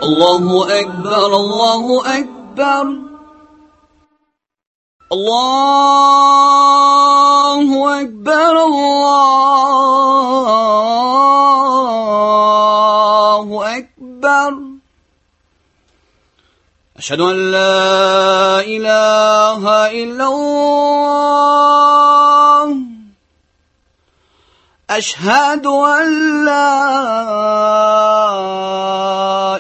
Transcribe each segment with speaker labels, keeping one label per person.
Speaker 1: الله أكبر الله أكبر الله أكبر الله أكبر أشهد أن لا إله إلا الله أشهد أن لا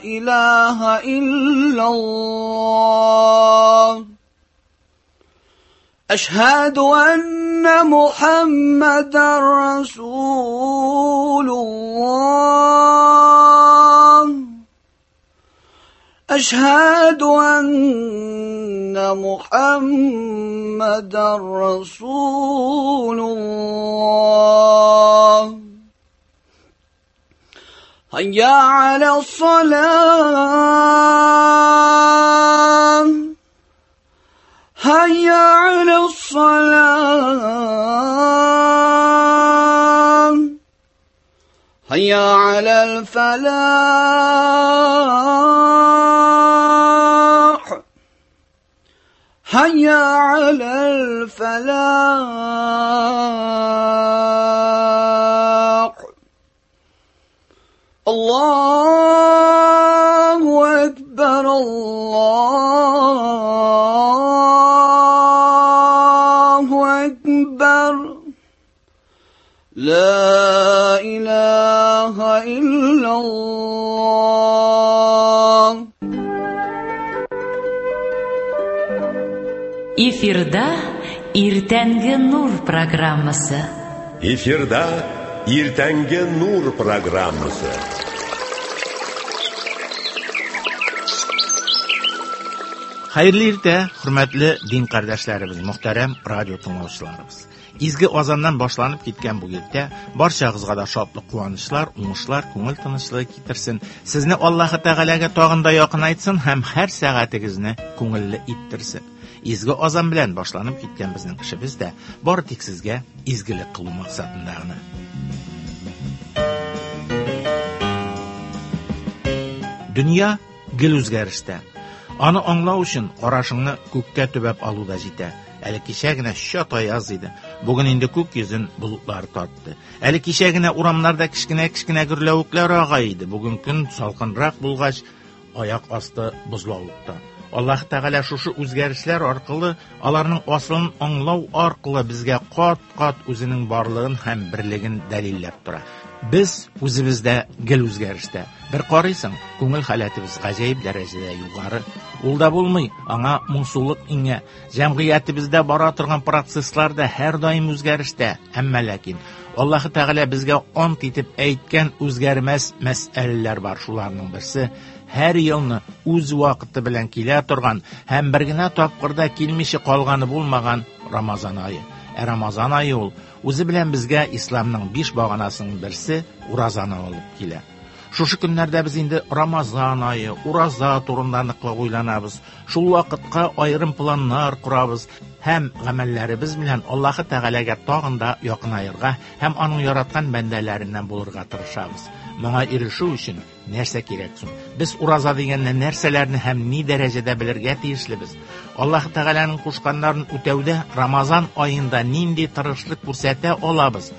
Speaker 1: إله إلا الله أشهد أن محمدا رسول الله أشهد أن محمدا رسول الله هيا على الصلاة هيا على الصلاة هيا على الفلاح هيا على الفلاح الله أكبر الله أكبر لا إله إلا الله.
Speaker 2: Эфирда Иртәнге нур программасы.
Speaker 3: Эфирда Иртәнге нур программасы.
Speaker 4: Хәерле иртә, хөрмәтле дин кардәшләребез, мөхтәрәм радио тыңлаучыларыбыз. Изге азаннан башланып киткән бу иртә барчагызга да шатлык, куанычлар, уңышлар, күңел тынычлыгы китерсен. Сезне Аллаһы Тәгаләгә тагын да якынайтсын һәм һәр сәгатегезне күңелле иттерсен. Изге азан белән башланып киткән безнең эшебез дә бары тик сезгә изгелек кылу максатында гына. Дөнья гел үзгәрештә. Аны аңлау өчен карашыңны күккә төбәп алу да җитә. Әле кичә генә чат аяз иде. Бүген инде күк йөзен болытлар тартты. Әле кичә генә урамнарда кечкенә-кечкенә гөрләвекләр ага иде. Бүген көн салкынрак булгач, аяк асты бозлавыкта. Аллаһ Тәгалә шушы үзгәрешләр аркылы, аларның асылын аңлау аркылы безгә кат-кат үзенең барлыгын һәм берлеген дәлилләп тора. Без үзебездә гел үзгәрештә. Бер карыйсың, күңел халәтебез гаҗәеп дәрәҗәдә югары. Ул да булмый, аңа моңсулык иңә. Җәмгыятебездә бара торган процесслар да һәрдаим үзгәрештә. Әмма ләкин Аллаһ Тәгалә безгә ант итеп әйткән үзгәрмәс мәсьәләләр бар. Шуларның берсе һәр елны үз вакыты белән килә торган һәм бер генә тапкыр да килмичә калганы булмаган Рамазан ае. Ә Рамазан ае ул үзе белән безгә исламның 5 баганасының берсе уразаны алып килә. Шушы көннәрдә без инде Рамазан ае, ураза турында ныклап уйланабыз. Шул вакытка аерым планнар корабыз һәм гамәлләребез белән Аллаһы Тәгаләгә тагын да якынаерга һәм аның яраткан бәндәләреннән булырга тырышабыз. Моңа ирешү өчен нәрсә кирәк соң? Без ураза дигәндә нәрсәләрне һәм ни дәрәҗәдә белергә тиешлебез? Аллаһ Тәгаләнең кушканнарын үтәүдә Рамазан аенда нинди тырышлык күрсәтә алабыз?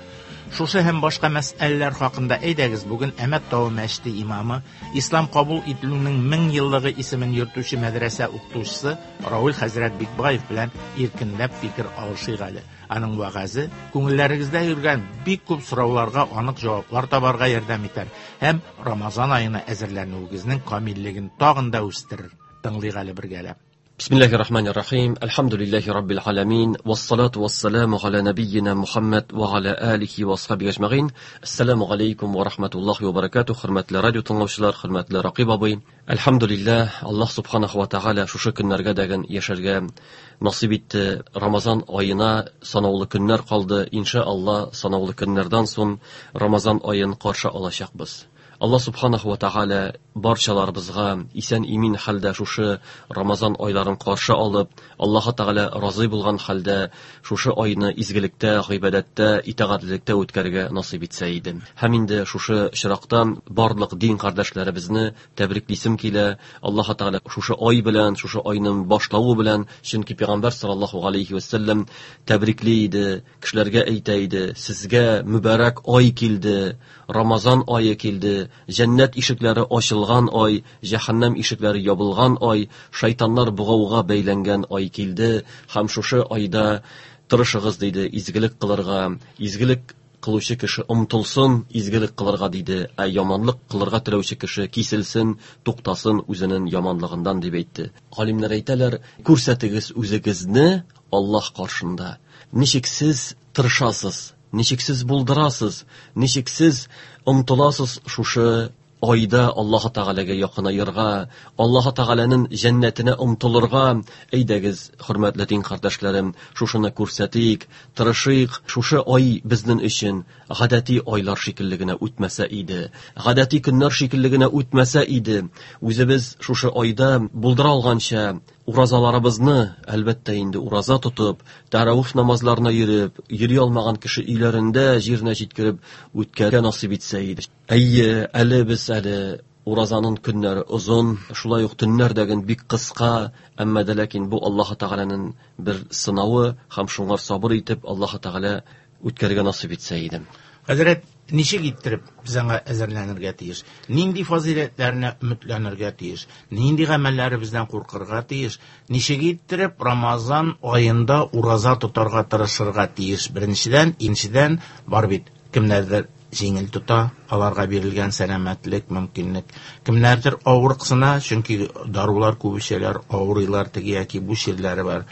Speaker 4: Шушы һәм башка мәсьәләләр хакында әйдәгез бүген Әмәт тавы мәчете имамы, ислам кабул ителүнең 1000 еллыгы исемен йөртүче мәдрәсә укытучысы Рауль хәзрәт Бикбаев белән иркенләп фикер алышыйк әле. Аның вәгазе күңелләрегездә йөргән бик күп сорауларга анык җаваплар табарга ярдәм итәр һәм Рамазан аена әзерләнүегезнең камиллеген тагын да үстерер. Тыңлыйк әле бергәләп.
Speaker 5: Бисмиллахир-рахманир-рахим. Әлхәмдүлилләһи раббил аламин. Вассалату вассаламу аля набийина Мухаммад ва аля алихи ва асхабихи ажмагин. Ассаламу алейкум ва рахматуллахи ва баракатух. Хөрмәтле радио тыңлаучылар, хөрмәтле Ракыйп абый. Әлхәмдүлилләһ, Аллаһ субханаху ва тааля шушы көннәргә дәген яшәргә насыйп итте. Рамазан аена санаулы көннәр калды. Иншааллаһ, санаулы көннәрдән соң Рамазан аен каршы алачакбыз. Аллаһ субханаху ва тааля барчаларыбызга исән-имин хәлдә шушы Рамазан айларын каршы алып, Аллаһ Тәгалә разый булган хәлдә шушы айны изгелектә, гыйбадәттә, итагатьлелектә үткәрергә насыйп итсә иде. Һәм инде шушы очракта барлык дин кардәшләребезне тәбриклисем килә. Аллаһ Тәгалә шушы ай белән, шушы айның башлавы белән, чөнки Пәйгамбәр саллаллаһу алейхи ва сәлләм тәбрикли иде, кешеләргә әйтә иде: "Сезгә мөбарәк ай килде, Рамазан ае килде, җәннәт ишекләре ачылган ай, җәһәннәм ишекләре ябылган ай, шайтаннар бугауга бәйләнгән ай килде һәм шушы айда тырышыгыз, диде, изгелек кылырга, изгелек кылучы кеше омтылсын изгелек кылырга, диде, ә яманлык кылырга теләүче кеше киселсен, туктасын үзенең яманлыгыннан, дип әйтте. Галимнәр әйтәләр, күрсәтегез үзегезне Аллаһ каршында. Ничек сез тырышасыз, ничек сез булдырасыз, ничек сез омтыласыз шушы айда Аллаһ Тәгаләгә якынаерга, Аллаһ Тәгаләнең җәннәтенә омтылырга. Әйдәгез, хөрмәтле дин кардәшләрем, шушыны күрсәтик, тырышыйк. Шушы ай безнең өчен гадәти айлар шикелле генә үтмәсә иде, гадәти көннәр шикелле генә үтмәсә иде. Үзебез шушы айда булдыра алганча уразаларыбызны, әлбәттә инде ураза тотып, тәравих намазларына йөреп, йөри алмаган кеше өйләрендә җиренә җиткереп үткәргә насыйп итсә иде. Әйе, әле без әле уразаның көннәре озын, шулай ук төннәр дә бик кыска, әмма дә ләкин бу Аллаһ Тәгаләнең бер сынавы һәм шуңар сабыр итеп Аллаһ Тәгалә үткәргә насыйп итсә иде.
Speaker 4: Хәзрәт, ничек иттереп без аңа әзерләнергә тиеш? Нинди фазыйләтләренә өметләнергә тиеш? Нинди гамәлләребездән куркырга тиеш? Ничек иттереп Рамазан аенда ураза тотарга тырышырга тиеш? Беренчедән, икенчедән, бар бит кемнәрдер җиңел тота, аларга бирелгән сәламәтлек, мөмкинлек. Кемнәрдер авырыксына, чөнки дарулар күп эчәләр, авырыйлар, теге яки бу чирләре бар.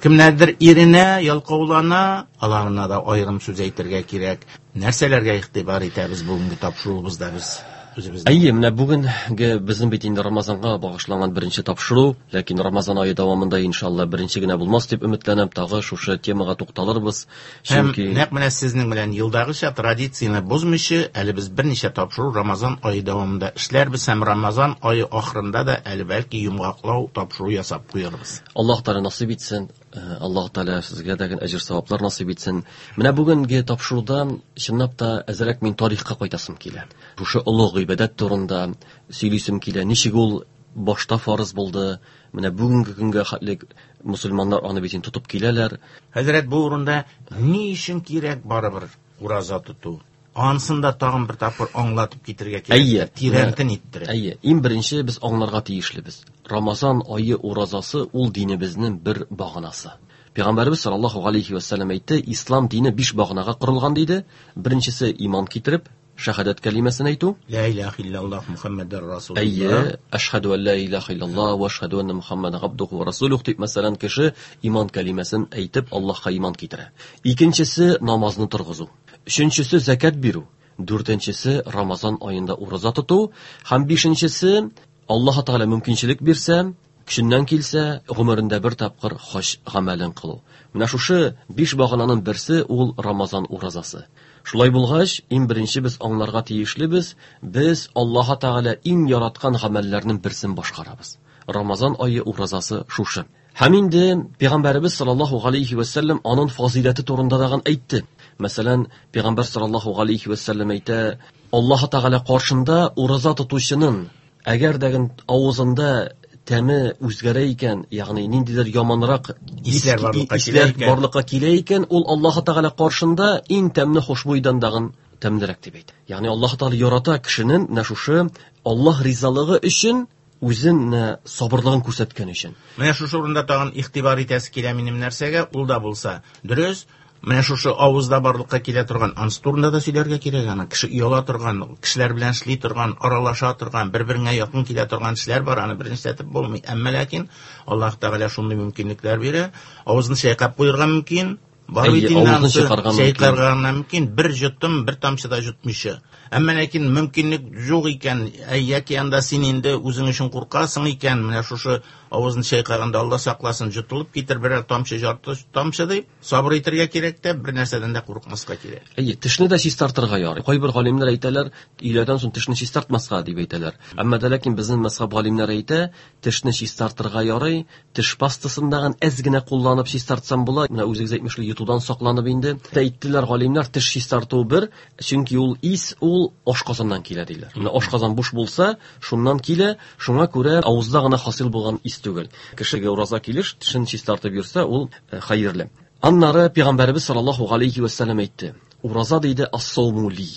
Speaker 4: Кемнәрдер иренә, ялкаулана, аларына да аерым сүз әйтергә кирәк. Нәрсәләргә игътибар итәбез бүгенге тапшыруыбызда без үзебез?
Speaker 5: Әйе, менә бүгенге безнең бит инде Рамазанга багышланган беренче тапшыру, ләкин Рамазан ае дәвамында иншалла беренче генә булмас дип өметләнәм, тагы шушы темага тукталырбыз.
Speaker 4: Чөнки нәкъ менә сезнең белән елдагыча традицияне бозмыйча, әле без берничә тапшыру Рамазан ае дәвамында эшләрбез һәм Рамазан ае ахырында да әле бәлки йомгаклау тапшыру ясап куярбыз.
Speaker 5: Аллаһ Тәгалә насыйп итсен. Аллаһ Тәгалә сезгә дә әҗер саваплар насыйп итсен. Менә бүгенге тапшыруда чынлап та әзрәк мин тарихка кайтасым килә. Шушы олуг гыйбадәт турында сөйлисем килә. Ничек ул башта фарыз булды, менә бүгенге көнгә хәтле мусульманнар аны бит инде тотып киләләр.
Speaker 4: Хәзрәт, бу урында ни өчен кирәк барыбер ураза тоту? Анысын да тагын бер тапкыр аңлатып китергә кирәк.
Speaker 5: Әйе.
Speaker 4: Тирәнтен иттереп.
Speaker 5: Әйе, иң беренче без аңларга тиешлебез. Рамазан ае уразасы ул динебезнең бер баганасы. Пәйгамбәребез саллаллаһу алейхи ва сәлләм әйтте, ислам дине 5 баганага корылган диде. Беренчесе иман китереп, шәһадәт кәлимәсен әйтү.
Speaker 4: Ла илаһа иллаллаһ Мухаммадур Расулуллаһ.
Speaker 5: Әйе, әшһәдү ан ла илаһа иллаллаһ ва әшһәдү анна Мухаммадан абдуху ва расулуһ дип, мәсәлән, кеше иман кәлимәсен әйтеп, Аллаһка иман китерә. Икенчесе намазны торгызу. Өченчесе зәкят бирү. Дүртенчесе Рамазан аенда ураза тоту һәм бишенчесе Аллаһ Тәгалә мөмкинчелек бирсә, көченнән килсә, гомерендә бер тапкыр хаҗ гамәлен кылу. Менә шушы 5 багананың берсе ул Рамазан уразасы. Шулай булгач, иң беренче без аңларга тиешлебез, без Аллаһ Тәгалә иң яраткан гамәлләрнең берсен башкарабыз. Рамазан ае уразасы шушы. Һәм инде Пәйгамбәребез саллаллаһу алейхи ва сәлләм аның фазыйләте турында дагын әйтте. Мәсәлән, Пәйгамбәр саллаллаһу алейхи ва сәлләм әйтә, Аллаһ Тәгалә каршында ураза тотучының әгәр дә авызында тәме үзгәрә икән, ягъни ниндидер яманрак
Speaker 4: исләр барлыкка килә икән,
Speaker 5: барлыкка килә икән, ул Аллаһ Тәгалә каршында иң тәмле хушбуйдан дагын тәмлерәк дип әйтә. Ягъни Аллаһ Тәгалә ярата кешенең менә шушы Аллаһ ризалыгы өчен үзен сабырлыгын күрсәткән өчен.
Speaker 4: Менә шушы урында тагын игътибар итәсе килә минем нәрсәгә, ул да булса, дөрес, менә шушы авызда барлыкка килә торган, ансы турында да сөйләргә кирәк аны. Кеше ояла торган, кешеләр белән эшли торган, аралаша торган, бер-береңә якын килә торган эшләр бар, аны берничәтеп булмый. Әмма ләкин Аллаһ Тәгалә шундый мөмкинлекләр бирә. Авызны чайкап куярга мөмкин. Бар
Speaker 5: Әйе,
Speaker 4: бит инде
Speaker 5: авызын
Speaker 4: анысы
Speaker 5: чайкарга мөмкин.
Speaker 4: чайкарга мөмкин, бер йотым, бер тамчы да йотмыйча. Әмма ләкин мөмкинлек юк икән, яки анда син инде үзең өчен куркасың икән, менә шушы авызын чайкаганда Алла сакласын, йотылып китер берәр тамчы, ярты тамчы дип, сабыр итәргә кирәк тә, бер нәрсәдән дә курыкмаска кирәк.
Speaker 5: Әйе, тешне дә чистартырга ярый. Кайбер галимнәр әйтәләр, өйләдән соң тешне чистартмаска дип әйтәләр. Әмма дә ләкин безнең мәзһәб галимнәре әйтә, тешне чистартырга ярый, теш пастасын дагын әз генә кулланып чистартсам була. Менә үзегез әйтмешли, йотудан сакланып инде. Әйттеләр галимнәр, теш чистарту бер, чөнки ул ис, ул ашказаннан килә диләр. Менә ашказан буш булса, шуннан килә, шуңа күрә авызда гына хасил булган ис түгел. Кешегә ураза килеш, тешен чистартып йөрсә, ул хәерле. Аннары Пәйгамбәребез саллаллаһу алейхи ва саллям әйтте: Ураза диде, ас-сауму ли.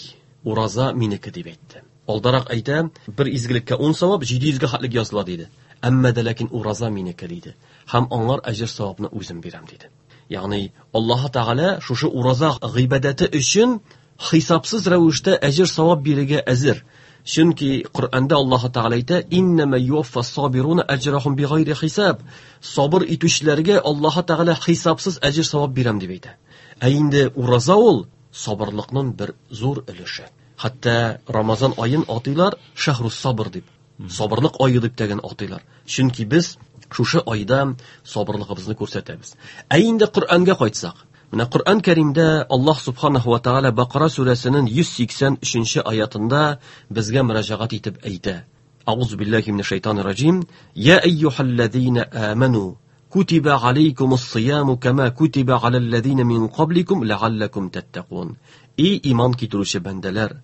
Speaker 5: Ураза минеке дип әйтте. Алдарак әйтә, бер изгелеккә 10 савап, 700гә хәтлек языла диде. Әмма дә ләкин ураза минеке диде. Һәм аңар әҗер савапны үзем бирәм диде. Ягъни Аллаһ Тәгалә шушы ураза гыйбадәте өчен хисапсыз рәвештә әҗер савап бирергә әзер. Чөнки Коръәндә Аллаһ Тәгалә әйтә: Иннама юваффас сабируна әҗрахум бигайри хисап. Сабыр итүчеләргә Аллаһ Тәгалә хисапсыз әҗер савап бирәм дип әйтә. Ә инде ураза ул сабырлыкның бер зур өлеше. Хәтта Рамазан аен атыйлар шәһрус сабыр дип. Сабырлык ае дип тәген атыйлар. Чөнки без шушы айда сабырлыгыбызны күрсәтәбез. Ә инде Коръәнгә кайтсак, менә Коръән Кәримдә Аллаһ Субханаһу ва Тааля Бакара сүрәсенең 183 аятында безгә мөрәҗәгать итеп әйтә. Аузу биллахи минәш шайтанир раҗим. Я әйюһәлләзина аману кутиба алейкумус сияму кама кутиба алаллазина мин кабликум ләгалләкум таттакун. Эй иман китерүче бәндәләр,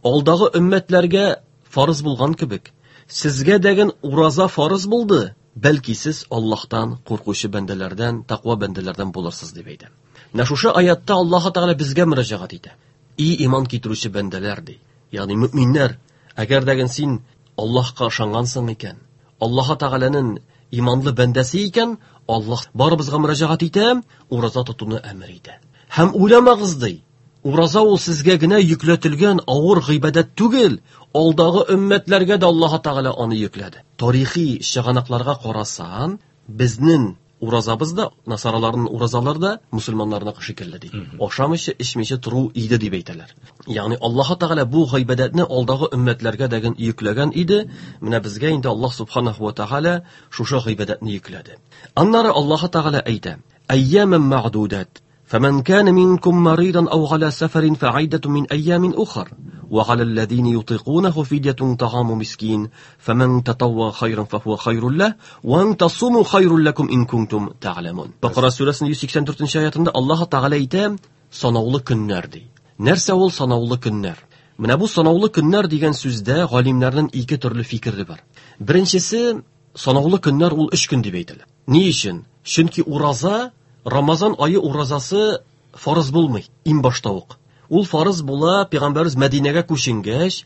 Speaker 5: алдагы өммәтләргә фарыз булган кебек, сезгә дәген ураза фарыз булды, бәлки сез Аллаһтан куркучы бәндәләрдән, тәкъва бәндәләрдән булырсыз дип әйтә. Менә шушы аятта Аллаһ Тәгалә безгә мөрәҗәгать итә. Эй иман китерүче бәндәләр ди. Ягъни мөминнәр, әгәр дәген син Аллаһка ышангансың икән, Аллаһ Тәгаләнең иманлы бәндәсе икән, Аллаһ барыбызга мөрәҗәгать итә, ураза тотуны әмер итә. Һәм уйламагыз ди, ураза ул сезгә генә йөкләтелгән авыр гыйбадәт түгел, алдагы өммәтләргә дә Аллаһ Тәгалә аны йөкләде. Тарихи чыганакларга карасан, безнең уразабыз да, насараларның уразалары да мусульманнарныкы шикелле ди. Ашамыйча, эчмичә тору иде дип әйтәләр. Ягъни Аллаһ Тәгалә бу гыйбадәтне алдагы өммәтләргә дәген йөкләгән иде. Менә безгә инде Аллаһ Субханаһу ва Тәгалә шушы гыйбадәтне йөкләде. Аннары Аллаһ Тәгалә әйтә: Әйямен мәгъдудат. فمن كان منكم مريضا أو على سفر فعدة من أيام أخر وعلى الذين يطيقونه فدية طعام مسكين فمن تطوع خيرا فهو خير له وأن تصوموا خير لكم إن كنتم تعلمون. Бакара сүрәсенең 184 аятында Аллаһ Тәгалә әйтә, санаулы көннәр ди. Нәрсә ул санаулы көннәр? Менә бу санаулы көннәр дигән сүздә галимнәрнең ике төрле фикере бар. Беренчесе, санаулы көннәр ул 3 көн дип әйтелә. Ни өчен? Чөнки ураза, Рамазан айы уразасы фарыз булмый, иң башта ук. Ул фарыз була, Пәйгамбәрбез Мәдинәгә күченгәч,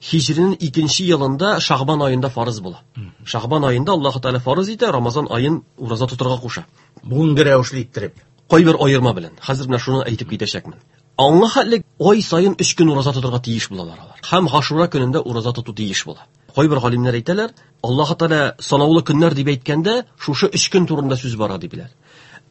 Speaker 5: һиҗринең икенче елында Шагбан аенда фарыз була. Шагбан аенда Аллаһ Тәгалә фарыз итә, Рамазан аен ураза тотарга куша.
Speaker 4: Бүгенге рәвешле иттереп.
Speaker 5: Кайбер аерма белән. Хәзер менә шуны әйтеп китәчәкмен. Аңа хәтлек ай саен 3 көн ураза тотарга тиеш булалар алар. Һәм Гашура көнендә ураза тоту тиеш була. Кайбер галимнәр әйтәләр, Аллаһ Тәгалә санаулы көннәр дип әйткәндә, шушы 3 көн турында сүз бара дипләр.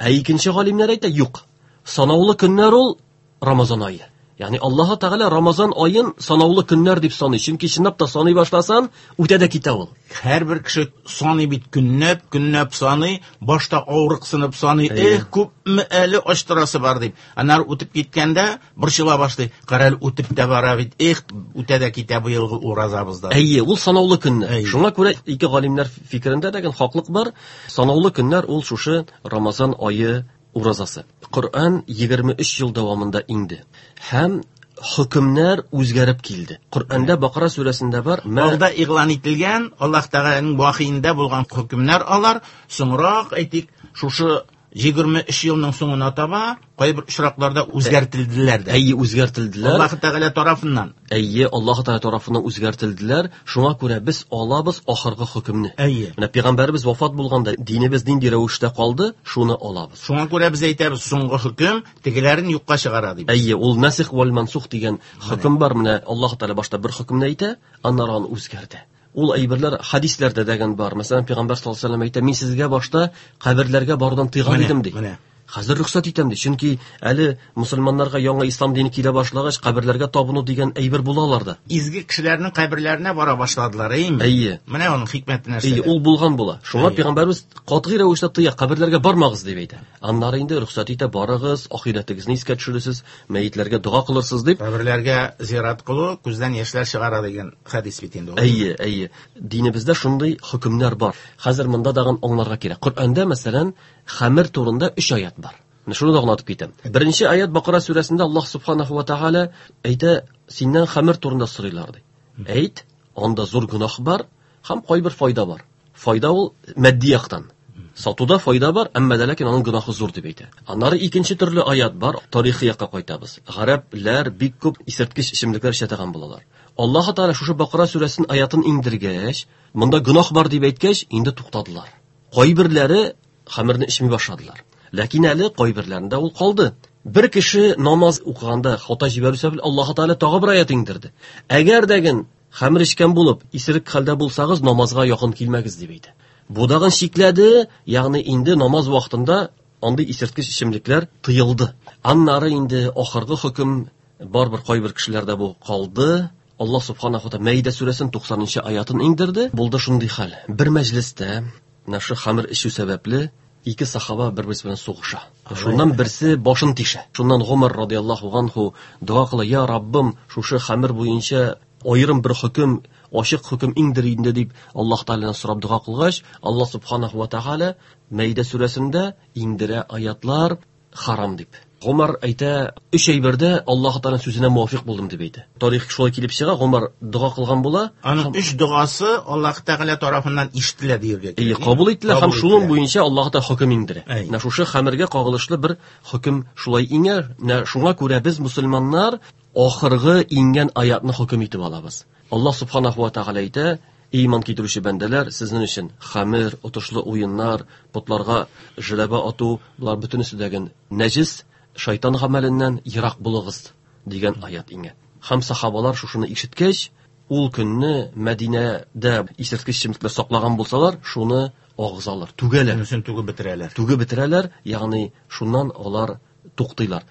Speaker 5: Ә икенче галимнәр әйтә, юк. Санаулы көннәр ул Рамазан ае. Ягъни Аллаһ Тәгалә Рамазан аен санаулы көннәр дип саный. Чөнки чынлап та саный башласан, үтә дә китә ул.
Speaker 4: Һәрбер кеше саный бит көнләп, көнләп саный, башта авырыксынып саный,
Speaker 5: Әйе.
Speaker 4: эх, күпме әле ачтырасы бар дип. Аннары үтеп киткәндә борчыла башлый. Кара әле үтеп тә бара бит, эх, үтә дә китә быелгы уразабызда.
Speaker 5: Әйе, ул санаулы көннәр.
Speaker 4: Әйе.
Speaker 5: Шуңа күрә ике галимнәр фикерендә дә хаклык бар. Санаулы көннәр ул шушы Рамазан ае уразасы. Коръән 23 ел дәвамында иңде. Һәм хөкемнәр үзгәреп килде. Коръәндә Бакара сүрәсендә бар, мә
Speaker 4: Алда игълан ителгән Аллаһ Тәгаләнең вахиендә булган хөкемнәр алар соңрак әйтик, шушы 23 елның соңына таба кайбер очракларда үзгәртелделәр дә.
Speaker 5: Әйе, үзгәртелделәр.
Speaker 4: Аллаһ Тәгалә тарафыннан.
Speaker 5: Әйе, Аллаһ Тәгалә тарафыннан үзгәртелделәр. Шуңа күрә без алабыз ахыргы хөкемне.
Speaker 4: Әйе.
Speaker 5: Менә пәйгамбәребез вафат булганда динебез нинди рәвештә калды, шуны алабыз.
Speaker 4: Шуңа күрә без әйтәбез, соңгы хөкем тегеләрен юкка чыгара дип.
Speaker 5: Әйе, ул насих вал мансух дигән хөкем бар. Менә Аллаһ Тәгалә башта бер хөкемне әйтә, аннары аны үзгәртә. Ул әйберләр хадисләрдә дәгән бар. Мәсәлән, Пәйгамбәр саллаллаһу алейһи ва сәлләм әйтә, мин сезгә башта каберләргә барудан тыйган
Speaker 4: Менә,
Speaker 5: идем ди.
Speaker 4: менә.
Speaker 5: Хәзер рөхсәт итәм ди. Чөнки әле мусульманнарга яңа ислам дине килә башлагач, каберләргә табыну дигән әйбер була аларда.
Speaker 4: Изге кешеләрнең каберләренә бара башладылар, әйеме?
Speaker 5: Әйе.
Speaker 4: Менә аның хикмәте нәрсәдә.
Speaker 5: Әйе, ул булган була. Шуңа пәйгамбәрбез катгый рәвештә тыя, каберләргә бармагыз дип әйтә. Аннары инде рөхсәт итә, барыгыз, ахирәтегезне искә төшерерсез, мәетләргә дога кылырсыз дип.
Speaker 4: Каберләргә зират кылу күздән яшьләр чыгара дигән хәдис бит инде ул.
Speaker 5: Әйе, әйе. Динебездә шундый хөкемнәр бар. Хәзер монда тагын аңларга кирәк. Коръәндә, мәсәлән, хәмер турында 3 аят бар. Менә шуны да аңлатып китәм. Беренче аят Бакара сүрәсендә Аллаһ субханаһу ва тааля әйтә, синнән хәмер турында сорыйлар ди. Әйт, анда зур гөнаһ бар һәм кайбер файда бар. Файда ул матди яктан. Сатуда файда бар, әмма дә ләкин аның гөнаһы зур дип әйтә. Аннары икенче төрле аят бар, тарихи якка кайтабыз. Гарәпләр бик күп исерткеч эчемлекләр эчә торган булалар. Аллаһ Тааля шушы Бакара сүрәсен аятын иңдергәч, монда гөнаһ бар дип әйткәч, инде туктадылар. Кайберләре хәмерне эчми башладылар. Ләкин әле кайберләрендә ул калды. Бер кеше намаз укыганда хата җибәрү сәбәпле Аллаһ Тааля тагы бер аят иңдерде. Әгәр дәген хәмер эчкән булып, исерек хәлдә булсагыз, намазга якын килмәгез дип әйтә. Бу дагын чикләде, ягъни инде намаз вакытында андый исерткеч эчемлекләр тыелды. Аннары инде ахыргы хөкем барбер кайбер кешеләрдә бу калды. Аллаһ субханаһу ва тааля Мәидә сүрәсенең 90-нчы аятын иңдерде. Булды шундый хәл. Бер мәҗлестә менә шу хәмер эчү сәбәпле ике сахаба бер-берсе белән сугыша. Шуннан берсе башын тишә. Шуннан Гомар радияллаһу анху дога кыла: "Я Раббым, шушы хәмер буенча аерым бер хөкем, ачык хөкем иңдер инде" дип Аллаһ Таалядан сорап дога кылгач, Аллаһ субханаһу ва тааля Мәидә сүрәсендә иңдерә аятлар харам дип. Гомар әйтә, өч әйбердә Аллаһ Тааляның сүзенә муафиқ булдым дип әйтә. Тарих шулай килеп чыга, Гомар дога кылган була.
Speaker 4: Аның өч догасы Аллаһ Тәгалә тарафыннан ишетелә дияргә
Speaker 5: кирәк. Әйе, кабул ителә һәм шуның буенча Аллаһ Тәгалә хөкем иңдерә. Менә шушы хәмергә кагылышлы бер хөкем шулай иңәр. Менә шуңа күрә без мусульманнар ахыргы иңгән аятны хөкем итеп алабыз. Аллаһ субханаһу ва тааля әйтә: "Иман китерүче бәндәләр, сезнең өчен хәмер, отышлы уеннар, потларга жләбә ату, болар бөтенесе дәген нәҗис, шайтан гамәленнән ерак булыгыз" дигән аят иңә. Һәм сахабалар шушыны ишеткәч, ул көнне Мәдинәдә исерткеч эчемлекләр саклаган булсалар, шуны агызалар, түгәләр.
Speaker 4: Шунысын түгеп бетерәләр.
Speaker 5: Түгеп бетерәләр, ягъни шуннан алар туктыйлар.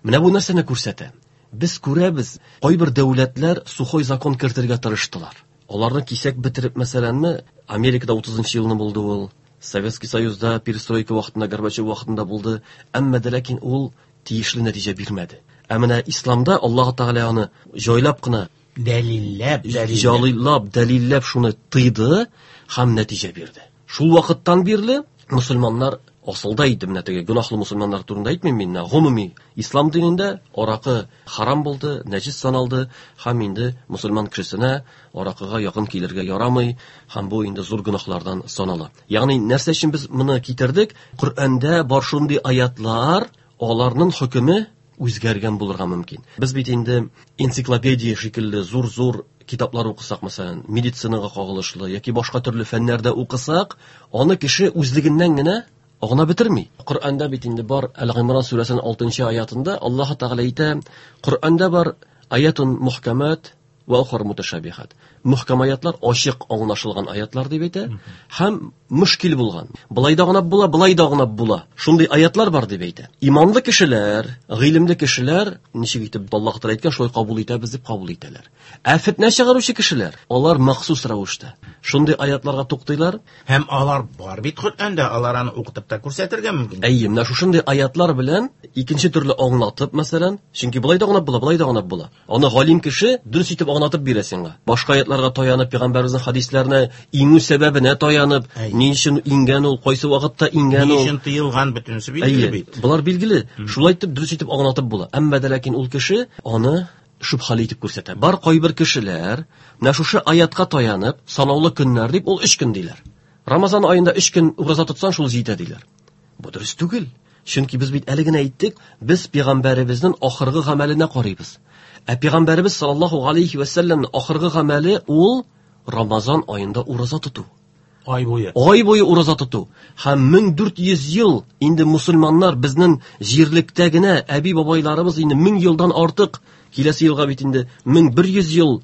Speaker 5: Менә бу нәрсәне күрсәтә? Без күрәбез, кайбер дәүләтләр сухой закон кертергә тырыштылар. Аларны кисәк бетереп, мәсәләнме, Америкада 30 елны булды ул, Советский Союзда перестройка вакытында, Горбачев вакытында булды, әмма дә ләкин ул тиешле нәтиҗә бирмәде. Ә менә исламда Аллаһ Тәгалә аны җайлап кына
Speaker 4: дәлилләп,
Speaker 5: җайлап, дәлилләп шуны тыйды һәм нәтиҗә бирде. Шул вакыттан бирле мусульманнар асылда иде, менә теге гөнаһлы мусульманнар турында әйтмим мин, менә гомуми ислам динендә аракы харам булды, нәҗис саналды һәм инде мусульман кешесенә аракыга якын килергә ярамый һәм бу инде зур гөнаһлардан санала. Ягъни нәрсә өчен без моны китердек? Коръәндә бар шундый аятлар, аларның хөкеме үзгәргән булырга мөмкин. Без бит инде энциклопедия шикелле зур-зур китаплар укысак, мәсәлән, медицинага кагылышлы яки башка төрле фәннәрдә укысак, аны кеше үзлегеннән генә аңлап бетерми. Коръәндә бит инде бар Әл-Гыймран сүрәсенең 6-нчы аятында Аллаһ Тәгалә әйтә, Коръәндә бар аятун мухкамат ва ухар муташабихат. Мухкам аятлар ачык аңлашылган аятлар дип әйтә һәм мөшкил булган. Былай да аңлап була, былай да аңлап була. Шундый аятлар бар дип әйтә. Иманлы кешеләр, гыйлемле кешеләр ничек итеп Аллаһ Тәгалә әйткән, шулай кабул итәбез дип кабул итәләр. Ә фитнә чыгаручы кешеләр, алар махсус рәвештә шундый аятларга туктыйлар.
Speaker 4: Һәм алар бар бит Коръәндә, алар аны укытып та күрсәтергә мөмкин.
Speaker 5: Әйе, менә шушындый аятлар белән икенче төрле аңлатып, мәсәлән, чөнки былай да аңлап була, былай да аңлап була. Аны галим кеше дөрес итеп аңлатып бирә сиңа. Башка аятларга таянып, пәйгамбәребезнең хәдисләренә иңү сәбәбенә таянып, ни өчен иңгән ул, кайсы вакытта иңгән
Speaker 4: ул, ни өчен тыелган, бөтенесе билгеле бит.
Speaker 5: Болар билгеле. Шулай итеп дөрес итеп аңлатып була. Әмма дә ләкин ул кеше аны шөбһәле итеп күрсәтә. Бар кайбер кешеләр менә шушы аятка таянып, санаулы көннәр дип, ул 3 көн диләр. Рамазан аенда 3 көн ураза тотсаң, шул җитә диләр. Бу дөрес түгел. Чөнки без бит әле генә әйттек, без пәйгамбәребезнең ахыргы гамәленә карыйбыз. Ә пәйгамбәребез саллаллаһу алейхи ва сәлләмнең ахыргы гамәле ул Рамазан аенда ураза тоту.
Speaker 4: Ай буе.
Speaker 5: Ай буе ураза тоту. Һәм 1400 ел инде мусульманнар безнең җирлектә генә әби-бабайларыбыз инде 1000 елдан артык, киләсе елга бит инде 1100 ел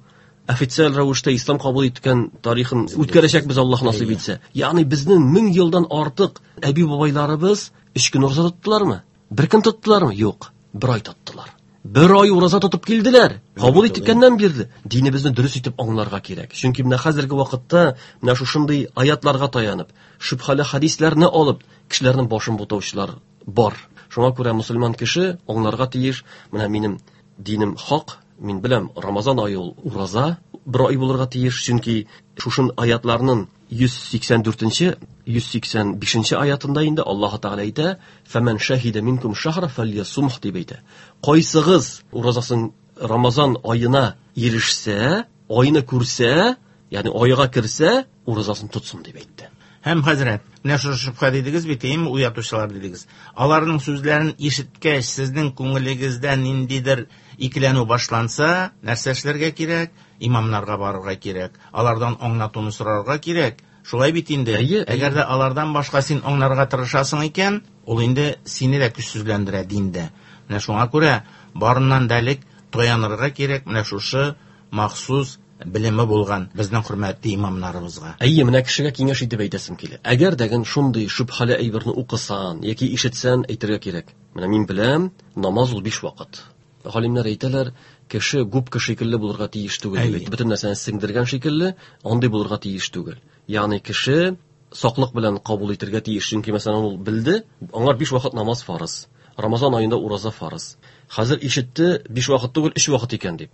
Speaker 5: Официаль рәвештә ислам кабул иткән тарихын үткәрәчәкбез, Аллаһ насыйп итсә. Ягъни безнең 1000 елдан артык әби-бабайларыбыз 3 көн ураза тоттылармы? Бер көн тоттылармы? Юк, бер ай тоттылар. Бер ай ураза тотып килделәр. Кабул иткәннән бирле динебезне дөрес итеп аңларга кирәк. Чөнки менә хәзерге вакытта менә шушындый аятларга таянып, шөбһәле хәдисләрне алып, кешеләрнең башын бутаучылар бар. Шуңа күрә мусульман кеше аңларга тиеш, менә минем динем хак, мин беләм, Рамазан ае ул ураза бер ай булырга тиеш, чөнки шушын аятларның 184-нче, 185-нче аятында инде Аллаһ Тәгалә әйтә: "Фәмән шаһида минкум шахра фальясумх" дип әйтә. Кайсыгыз уразасын Рамазан аена ирешсә, айны күрсә, ягъни айга керсә, уразасын тотсын дип әйтте.
Speaker 4: Һәм хәзрәт, менә шушы шөбһә дидегез бит, әйеме, уятучылар дидегез. Аларның сүзләрен ишеткәч, сезнең күңелегездә ниндидер икеләнү башланса, нәрсә эшләргә кирәк? Имамнарга барырга кирәк. Алардан аңлатуны сорарга кирәк. Шулай бит инде.
Speaker 5: Әйе, әйе.
Speaker 4: Әгәр дә алардан башка син аңларга тырышасың икән, ул инде сине дә көчсезләндерә диндә. Менә шуңа күрә барыннан да элек таянырга кирәк менә шушы махсус белеме булган безнең хөрмәтле имамнарыбызга.
Speaker 5: Әйе, менә кешегә киңәш итеп әйтәсем килә. Әгәр дә ген шундый шөбһәле әйберне укысан яки ишетсән, әйтергә кирәк. Менә мин беләм, намаз ул 5 вакыт. Галимнәр әйтәләр, кеше губка шикелле булырга тиеш түгел дип әйтә. Бөтен нәрсәне сеңдергән шикелле, андый булырга тиеш түгел. Ягъни кеше саклык белән кабул итергә тиеш, чөнки мәсәлән ул белде, аңар 5 вакыт намаз фарыз. Рамазан аенда ураза фарыз. Хәзер ишетте, 5 вакыт түгел, 3 вакыт икән дип.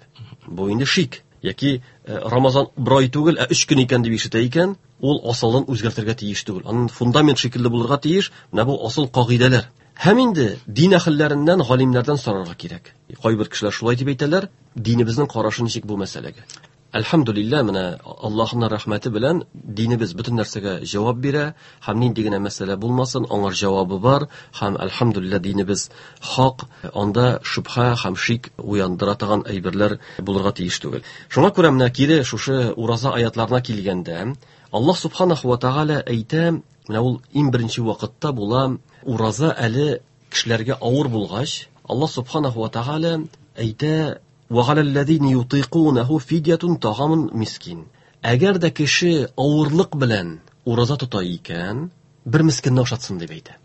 Speaker 5: Бу инде шик. Яки Рамазан бер ай түгел, ә 3 көн икән дип ишетә икән, ул асылын үзгәртергә тиеш түгел. Аның фундамент шикелле булырга тиеш, менә бу асыл кагыйдәләр. Һәм инде дин әһелләреннән, галимнәрдән сорарга кирәк. Кайбер кешеләр шулай дип әйтәләр, динебезнең карашы ничек бу мәсьәләгә? Әлхәмдүлилләһ, менә Аллаһның рәхмәте белән динебез бөтен нәрсәгә җавап бирә, һәм нинди генә мәсьәлә булмасын, аңар җавабы бар, һәм әлхәмдүлилләһ динебез хак, анда шөбһә һәм шик уяндыра торган әйберләр булырга тиеш түгел. Шуңа күрә менә кире шушы ураза аятларына килгәндә, Аллаһ субханаху ва тааля әйтә, менә ул иң беренче вакытта була, ураза әле кешеләргә авыр булгач, Аллаһ субханаху ва тааля әйтә, Ва галәлләзина ютыйкунаху фидьятун тагамун мискин. Әгәр дә кеше авырлык белән ураза тота икән, бер мискинне ашатсын дип әйтә.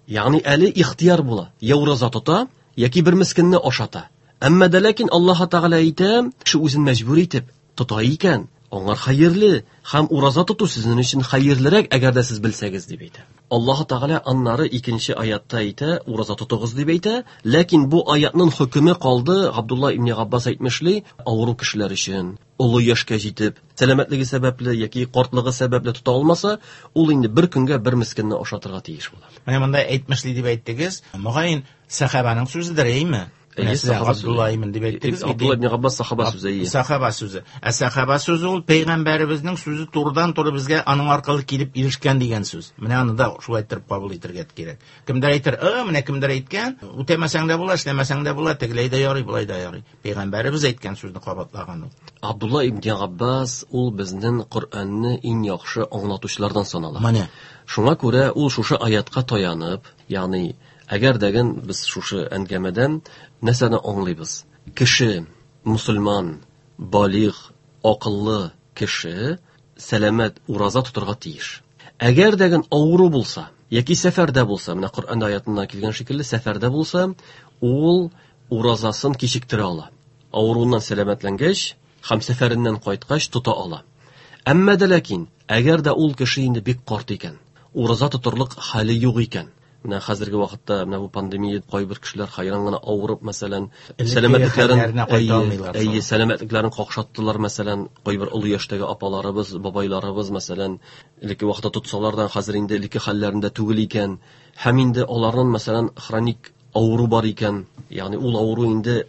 Speaker 5: Ягъни әле ихтияр була, я ураза тота, яки бер мискинне ашата. Әмма дә ләкин Аллаһ Тәгалә әйтә, кеше үзен мәҗбүр итеп тота икән, аңар хәерле, һәм ураза тоту сезнең өчен хәерлерәк, әгәр дә сез белсәгез дип әйтә. Аллаһ Тәгалә аннары икенче аятта әйтә, ураза тотыгыз дип әйтә, ләкин бу аятның хөкеме калды, Габдулла ибн Габбас әйтмешли, авыру кешеләр өчен, олы яшькә җитеп, сәламәтлеге сәбәпле яки картлыгы сәбәпле тота алмаса, ул инде бер көнгә бер мискинне ашатырга тиеш була.
Speaker 4: Менә монда әйтмешли дип әйттегез, мөгаен сәхабаның сүзедер, әйеме?
Speaker 5: Әйе,
Speaker 4: Менә сез
Speaker 5: сахаба
Speaker 4: Габдулла
Speaker 5: сүзе.
Speaker 4: ибн дип әйттегез бит.
Speaker 5: Абдулла ибн Габбас сахаба сүзе, әйе.
Speaker 4: Сахаба сүзе. Ә сахаба сүзе ул пәйгамбәребезнең сүзе турыдан-туры безгә аның аркылы килеп ирешкән дигән сүз. Менә аны да шулай итеп кабул итәргә кирәк. Кемдер әйтер, менә кемдер әйткән, үтәмәсәң дә була, эшләмәсәң дә була, тегеләй дә ярый, болай да ярый. Пәйгамбәребез әйткән сүзне кабатлаган ул.
Speaker 5: Абдулла ибн Габбас ул безнең Коръәнне иң яхшы аңлатучылардан санала.
Speaker 4: Менә.
Speaker 5: Шуңа күрә ул шушы аятка таянып, ягъни әгәр дәген без шушы әңгәмәдән нәрсәне аңлыйбыз? Кеше, мусульман, балигъ, акыллы кеше сәламәт ураза тотырга тиеш. Әгәр дәген авыру булса, яки сәфәрдә булса, менә Коръән аятында килгән шикелле сәфәрдә булса, ул уразасын кичектерә ала. Авыруыннан сәламәтләнгәч һәм сәфәреннән кайткач тота ала. Әмма дә ләкин, әгәр дә ул кеше инде бик карт икән, ураза тотырлык хәле юк икән, менә хәзерге вакытта менә бу пандемия кайбер кешеләр хайран гына авырып, мәсәлән,
Speaker 4: Элекке
Speaker 5: сәламәтлекләрен,
Speaker 4: хәлләренә кайта
Speaker 5: әйе,
Speaker 4: алмыйлар
Speaker 5: әйе,
Speaker 4: соң.
Speaker 5: сәламәтлекләрен какшаттылар, мәсәлән, кайбер олы яшьтәге апаларыбыз, бабайларыбыз, мәсәлән, элекке вакытта тотсалар да, хәзер инде элекке хәлләрендә түгел икән. Һәм инде аларның, мәсәлән, хроник авыру бар икән, ягъни ул авыру инде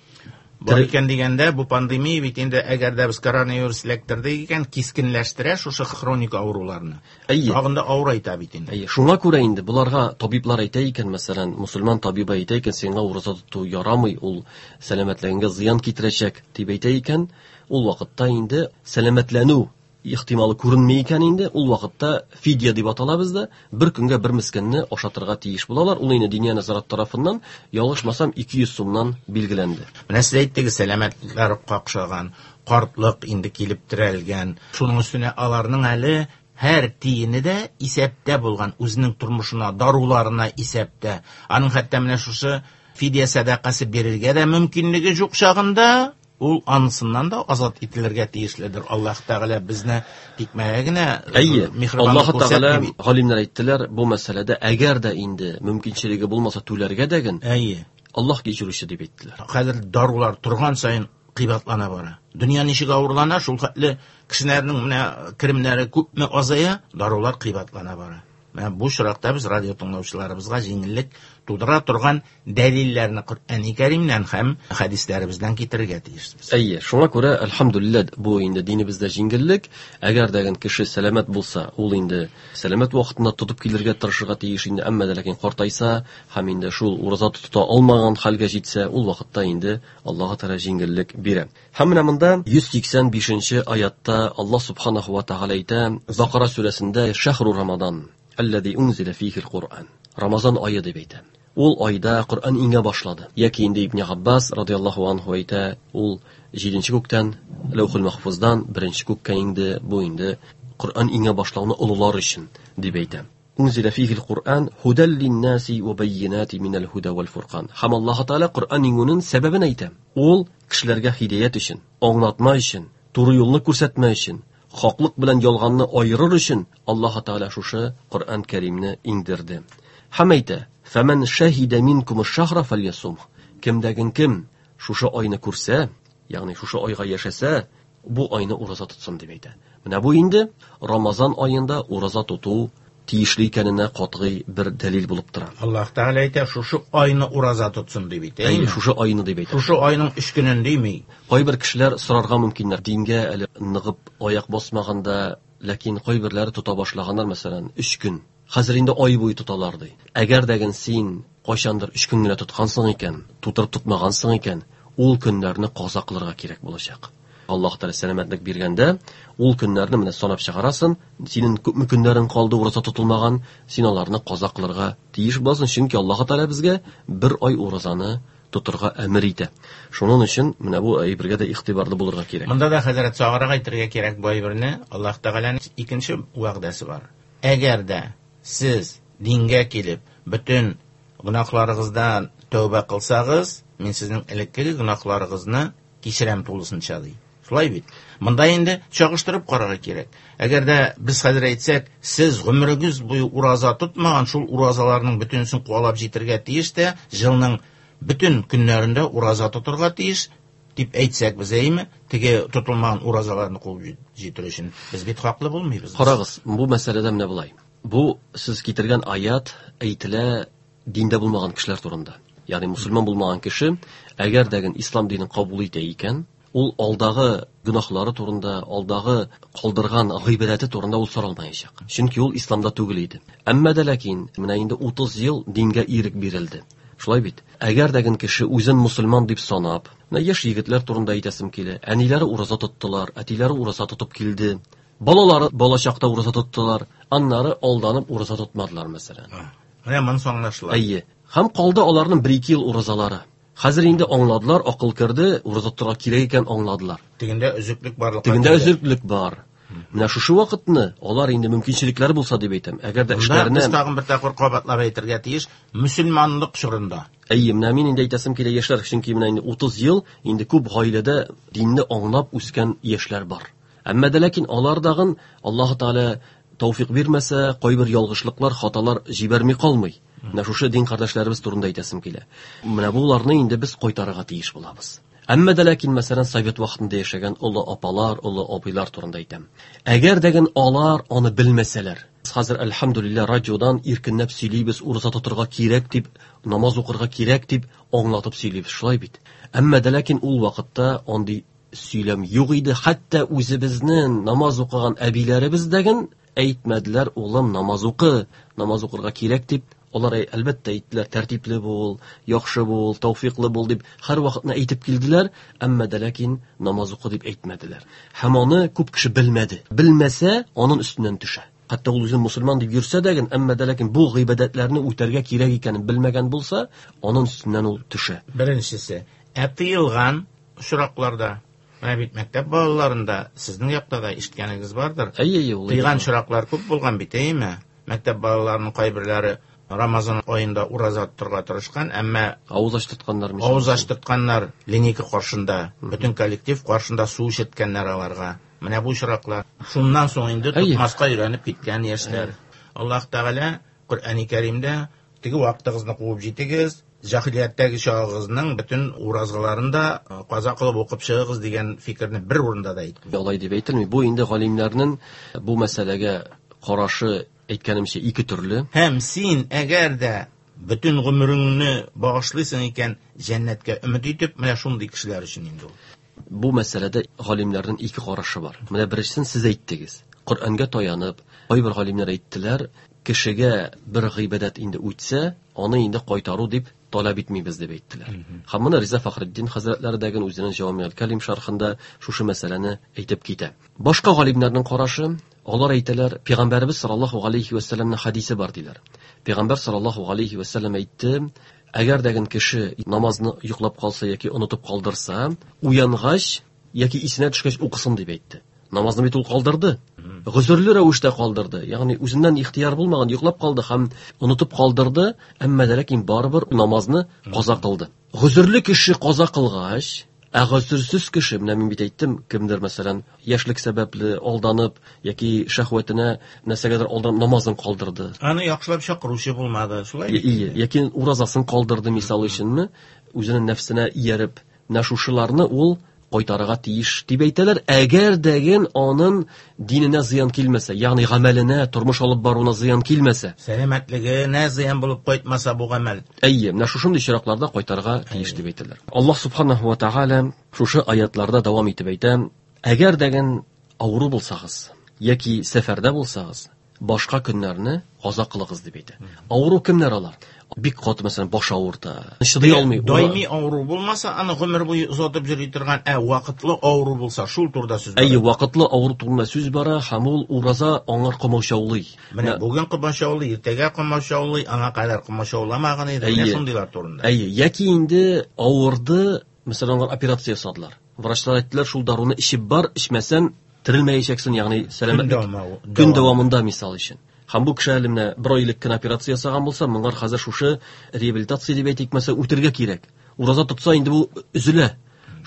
Speaker 4: Бар икән дигәндә, бу пандемия бит инде, әгәр дә без коронавирус эләктердек икән, кискенләштерә шушы хроник авыруларны.
Speaker 5: Әйе.
Speaker 4: Тагын да авырайта бит инде.
Speaker 5: Әйе, шуңа күрә инде буларга табиблар әйтә икән, мәсәлән, мусульман табибы әйтә икән, сиңа ураза тоту ярамый, ул сәламәтлегеңә зыян китерәчәк дип әйтә икән, ул вакытта инде сәламәтләнү ихтималы күренми икән инде, ул вакытта фидия дип атала бездә, бер көнгә бер мискинне ашатырга тиеш булалар. Ул инде Диния нәзарәт тарафыннан, ялгышмасам, 200 сумнан билгеләнде.
Speaker 4: Менә сез әйттегез, сәламәтлекләр какшаган, Картлык инде килеп терәлгән. Шуның өстенә аларның әле һәр тиене дә исәптә булган, үзенең тормышына, даруларына исәптә. Аның хәтта менә шушы фидия сәдакасы бирергә дә мөмкинлеге юк чагында, ул анысыннан да азат ителергә тиешледер. Аллаһ Тәгалә безне тикмәгә генә
Speaker 5: Әйе,
Speaker 4: миһербанлык
Speaker 5: Аллаһ Тәгалә
Speaker 4: күрсәтми бит.
Speaker 5: галимнәр әйттеләр, бу мәсьәләдә әгәр дә инде мөмкинчелеге булмаса түләргә дәген,
Speaker 4: Әйе.
Speaker 5: Аллаһ кичерүче дип әйттеләр.
Speaker 4: Хәзер дарулар торган саен кыйбатлана бара. Дөнья ничек авырлана, шул хәтле кешеләрнең менә керемнәре күпме азая, дарулар кыйбатлана бара. Менә бу очракта без радио тыңлаучыларыбызга җиңеллек тудыра торган дәлилләрне Коръәни Кәримнән һәм хәдисләребездән китерергә тиешбез.
Speaker 5: Әйе, шуңа күрә әлхәмдүлилләһ бу инде динебездә җиңеллек. Әгәр дә кеше сәламәт булса, ул инде сәламәт вакытында тотып килергә тырышырга тиеш инде, әмма дә ләкин картайса һәм инде шул ураза тота алмаган хәлгә җитсә, ул вакытта инде Аллаһ Тәгалә җиңеллек бирә. Һәм менә монда 185 аятта Аллаһ субханаху ва тәгалә әйтә, Бакара сүрәсендә Шәһру Рамадан, аллази унзила фихил Куръан. Рамазан ае дип әйтә. Ул айда Коръән иңә башлады. Яки инде Ибн Габбас радияллаһу анһу әйтә, ул 7-нче күктән, Ләүхул Махфуздан 1-нче күккә иңде. Бу инде Коръән иңә башлауны олылар өчен дип әйтә. Унзила фихил Куръан худал линнаси ва байинати минал худа вал фуркан. Һәм Аллаһ Тәгалә Коръән иңүнең сәбәбен әйтә. Ул кешеләргә һидаят өчен, аңлатма өчен, туры юлны күрсәтмә өчен, хаклык белән ялганны айырыр өчен Аллаһ Тәгалә шушы Коръән Кәримне иңдерде. Һәм әйтә: "Фәмән шаһида минкум аш-шахра фальясум". Кемдәген кем шушы айны күрсә, ягъни шушы айга яшәсә, бу айны ураза тотсын дип әйтә. Менә бу инде Рамазан аенда ураза тоту тиешле икәненә катгый бер дәлил булып тора.
Speaker 4: Аллаһ Тәгалә әйтә, шушы айны ураза тотсын дип әйтә.
Speaker 5: Әйе, шушы айны дип әйтә.
Speaker 4: Шушы айның 3 көнен дими.
Speaker 5: Кайбер кешеләр сорарга мөмкиннәр, дингә әле ныгып аяк басмаганда, ләкин кайберләре тота башлаганнар, мәсәлән, 3 көн. Хәзер инде ай буе тоталар ди. Әгәр дә син кайчандыр 3 көн генә тоткансың икән, тутырып тотмагансың икән, ул көннәрне каза кылырга кирәк булачак. Аллаһ Тәгалә сәламәтлек биргәндә, ул көннәрне менә санап чыгарасың, синең күпме көннәрең калды ураза тотылмаган, син аларны каза кылырга тиеш буласың, чөнки Аллаһ Тәгалә безгә бер ай уразаны тотырга әмер итә. Шуның өчен менә бу әйбергә дә игътибарлы булырга кирәк.
Speaker 4: Монда да хәзрәт саграк әйтергә кирәк бу әйберне. Аллаһ Тәгаләнең икенче вәгъдәсе бар. Әгәр дә сез дингә килеп, бөтен гөнаһларыгыздан тәүбә кылсагыз, мин сезнең элеккеге гөнаһларыгызны кичерәм тулысынча ди. Шулай бит. Монда инде чагыштырып карарга кирәк. Әгәр дә без хәзер әйтсәк, сез гомерегез буе ураза тотмаган, шул уразаларның бөтенесен куалап җитәргә тиеш тә, елның бөтен көннәрендә ураза тотырга тиеш дип әйтсәк без, әйме, теге тотылмаган уразаларны куып җитер өчен без бит хаклы булмыйбыз.
Speaker 5: Карагыз, бу мәсьәләдә менә болай. Бу сез китергән аят әйтелә диндә булмаган кешеләр турында. Ягъни мусульман булмаган кеше, әгәр дә ислам динен кабул итә икән, ул алдагы гөнаһлары турында, алдагы калдырган гыйбадәте турында ул соралмаячак. Чөнки ул исламда түгел иде. Әмма дә ләкин менә инде 30 ел дингә ирек бирелде. Шулай бит. Әгәр дә кеше үзен мусульман дип санап, менә яшь егетләр турында әйтәсем килә. Әниләре ураза тоттылар, әтиләре ураза тотып килде. Балалары балачакта ураза тоттылар, аннары алданып ураза тотмадылар, мәсәлән.
Speaker 4: Менә монысы аңлашыла.
Speaker 5: Әйе. Һәм калды аларның 1-2 ел уразалары. Хәзер инде аңладылар, акыл керде, ураза тотарга кирәк икән аңладылар.
Speaker 4: Тегендә өзеклек барлыкка
Speaker 5: Тегендә
Speaker 4: килде.
Speaker 5: өзеклек бар. Менә шушы вакытны алар инде мөмкинчелекләре булса дип әйтәм. Әгәр дә
Speaker 4: Монда
Speaker 5: эшләренә
Speaker 4: без тагын бер тапкыр кабатлап әйтергә тиеш, мөселманлык чорында.
Speaker 5: Әйе, менә мин инде әйтәсем килә яшьләр, чөнки менә инде 30 ел инде күп гаиләдә динне аңлап үскән яшьләр бар. Әмма дә ләкин алар дагын Аллаһ Тәгалә тәүфик бирмәсә, кайбер ялгышлыклар, хаталар җибәрми калмый. Менә шушы дин кардәшләребез турында әйтәсем килә. Менә буларны инде без кайтарырга тиеш булабыз. Әмма дә ләкин, мәсәлән, совет вакытында яшәгән олы апалар, олы абыйлар турында әйтәм. Әгәр дә алар аны белмәсәләр, хәзер әлхәмдүлилләһ радиодан иркенләп сөйлибез, ураза тотырга кирәк дип, намаз укырга кирәк дип аңлатып сөйлибез, шулай бит. Әмма дә ләкин ул вакытта андый сөйләм юк иде. Хәтта үзебезнең намаз укыган әбиләребез дәген әйтмәделәр, улым, намаз укы, намаз укырга кирәк дип. Алар әлбәттә әйттеләр, тәртипле бул, яхшы бул, тәүфиклы бул дип һәр вакытны әйтеп килделәр, әмма дә ләкин намаз укы дип әйтмәделәр. Һәм аны күп кеше белмәде. Белмәсә, аның өстеннән төшә. Хәтта ул үзен мусульман дип йөрсә дә, әмма дә ләкин бу гыйбадәтләрне үтәргә кирәк икәнен белмәгән булса, аның өстеннән ул төшә.
Speaker 4: Беренчесе, ә тыелган очракларда. Менә бит мәктәп балаларында сезнең якта да ишеткәнегез бардыр.
Speaker 5: Әйе, әйе, ул
Speaker 4: Тыйган очраклар күп булган бит, әйеме? Мәктәп балаларының кайберләре Рамазан аенда ураза тотарга тырышкан, әмма
Speaker 5: авыз ачтыртканнар мисал
Speaker 4: авыз
Speaker 5: өчен.
Speaker 4: ачтыртканнар линейка каршында, бөтен коллектив каршында су эчерткәннәр аларга. Менә бу очраклар. Шуннан соң инде тотмаска өйрәнеп киткән яшьләр. Аллаһ Тәгалә Коръәни Кәримдә теге вакытыгызны куып җитегез, җаһилияттәге чагыгызның бөтен уразаларын да каза кылып укып чыгыгыз дигән фикерне бер урында да әйтми.
Speaker 5: Алай дип әйтелми. Бу инде галимнәрнең бу мәсьәләгә карашы, әйткәнемчә, ике төрле.
Speaker 4: Һәм син әгәр дә бөтен гомереңне багышлыйсың икән, җәннәткә өмет итеп, менә шундый кешеләр өчен инде ул.
Speaker 5: Бу мәсьәләдә галимнәрнең ике карашы бар. Менә беренчесен сез әйттегез. Коръәнгә таянып, кайбер галимнәр әйттеләр, кешегә бер гыйбадәт инде үтсә, аны инде кайтару дип таләп итмибез дип әйттеләр. Һәм моны Риза Фәхретдин хәзрәтләре дә үзенең Җавамиғ Кәлим шәрхендә шушы мәсьәләне әйтеп китә. Башка галимнәрнең карашы, алар әйтәләр, Пәйгамбәребез саллаллаһу алейхи ва сәлламнең хадисе бар диләр. Пәйгамбәр саллаллаһу алейхи ва сәллам әйтте, әгәр дә кеше намазны йоклап калса яки онытып калдырса, уянгач яки исенә төшкәч укысын дип әйтте. Намазны бит ул калдырды. Гозерле рәвештә калдырды. Ягъни үзеннән ихтияр булмаган, йоклап калды һәм онытып калдырды, әмма дә ләкин барыбер намазны каза кылды. Гозерле кеше каза кылгач, ә гозерсез кеше, менә мин бит әйттем, кемдер мәсәлән, яшьлек сәбәпле алданып яки шәһвәтенә нәрсәгәдер алданып намазын калдырды.
Speaker 4: Аны яхшылап чакыручы булмады, шулай бит?
Speaker 5: Ие, яки уразасын калдырды мисал өченме, үзенең нәфсенә ияреп, менә шушыларны ул кайтарырга тиеш дип әйтәләр. Әгәр дәген аның диненә зыян килмәсә, ягъни гамәленә, тормыш алып баруына зыян килмәсә,
Speaker 4: сәламәтлегенә зыян булып кайтмаса бу гамәл.
Speaker 5: Әйе, менә шушындый очракларда кайтарырга тиеш дип әйтәләр. Аллаһ субханаһу ва тааля шушы аятларда дәвам итеп әйтә: әгәр дәген авыру булсагыз яки сәфәрдә булсагыз, башка көннәрне каза кылыгыз дип әйтә. Авыру кемнәр алар? Бик каты, мәсәлән, баш авырта, чыдый алмый.
Speaker 4: Даими авыру булмаса, аны гомер буе озатып йөри торган, ә вакытлы авыру булса, шул турыда сүз бара.
Speaker 5: Әйе, вакытлы авыру турында сүз бара, һәм ул ураза аңар комачаулый.
Speaker 4: Менә бүген комачаулый, иртәгә комачаулый, аңа кадәр комачауламаган иде, менә шундыйлар турында.
Speaker 5: Әйе, яки инде авырды, мәсәлән, аңар операция ясадылар. Врачлар әйттеләр, шул даруны эчеп бар, эчмәсән терелмәячәксең, ягъни сәламәтлек көн дәвамында мисал өчен. Һәм бу кеше әле менә бер айлык кенә операция ясаган булса, моңар хәзер шушы реабилитация дип әйтик, мәсәлән, үтергә кирәк. Ураза тотса инде бу өзелә.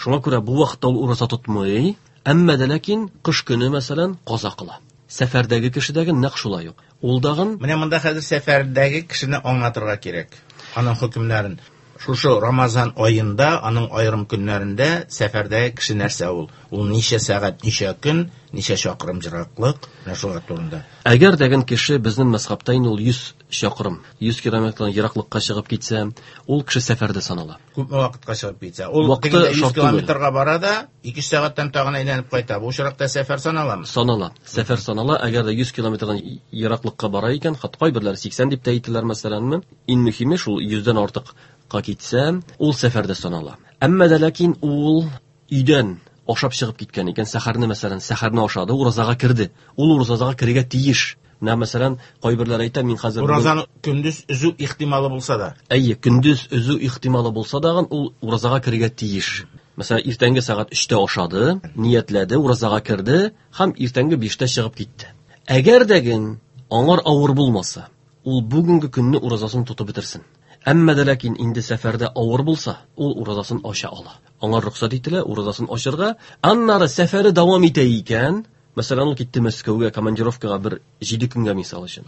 Speaker 5: Шуңа күрә бу вакытта ул ураза тотмый, әмма дә ләкин кыш көне, мәсәлән, каза кыла. Сәфәрдәге кешедәге нәкъ шулай ук. Ул дагын
Speaker 4: менә монда хәзер сәфәрдәге кешене аңлатырга кирәк. Аның хөкемнәрен. Шушы Рамазан аенда, аның аерым көннәрендә сәфәрдәге кеше нәрсә ул? Ул ничә сәгать, ничә көн, ничә чакрым ераклык, менә шулар турында.
Speaker 5: Әгәр дәген кеше безнең мәзхәбтә инде ул 100 чакрым, 100 километрдан ераклыкка чыгып китсә, ул кеше сәфәрдә санала.
Speaker 4: Күпме вакытка чыгып китсә? Ул тегендә 100 километрга бара да, 2 сәгатьтән тагын әйләнеп кайта. Бу очракта сәфәр саналамы?
Speaker 5: Санала. Сәфәр санала. Әгәр дә 100 километрдан ераклыкка бара икән, хат кайберләре 80 дип тә әйтәләр, мәсәләнме. Иң мөһиме шул 100дән артыкка китсә, ул сәфәрдә санала. Әмма дә ләкин ул өйдән ашап чыгып киткән икән, сәхәрне, мәсәлән, сәхәрне ашады, уразага керде. Ул уразага керергә тиеш. Менә, мәсәлән, кайберләр әйтә, мин хәзер
Speaker 4: уразаны көндез өзү ихтималы булса да.
Speaker 5: Әйе, көндез өзү ихтималы булса да, ул уразага керергә тиеш. Мәсәлән, иртәнге сәгать 3-тә ашады, ниятләде, уразага керде һәм иртәнге 5-тә чыгып китте. Әгәр дәген аңар авыр булмаса, ул бүгенге көнне уразасын тотып бетерсен. Әмма дә ләкин инде сәфәрдә авыр булса, ул уразасын ача ала. Аңа рөхсәт ителә уразасын ачырга. Аннары сәфәре дәвам итә икән, мәсәлән, ул китте Мәскәүгә командировкага бер 7 көнгә мисал өчен.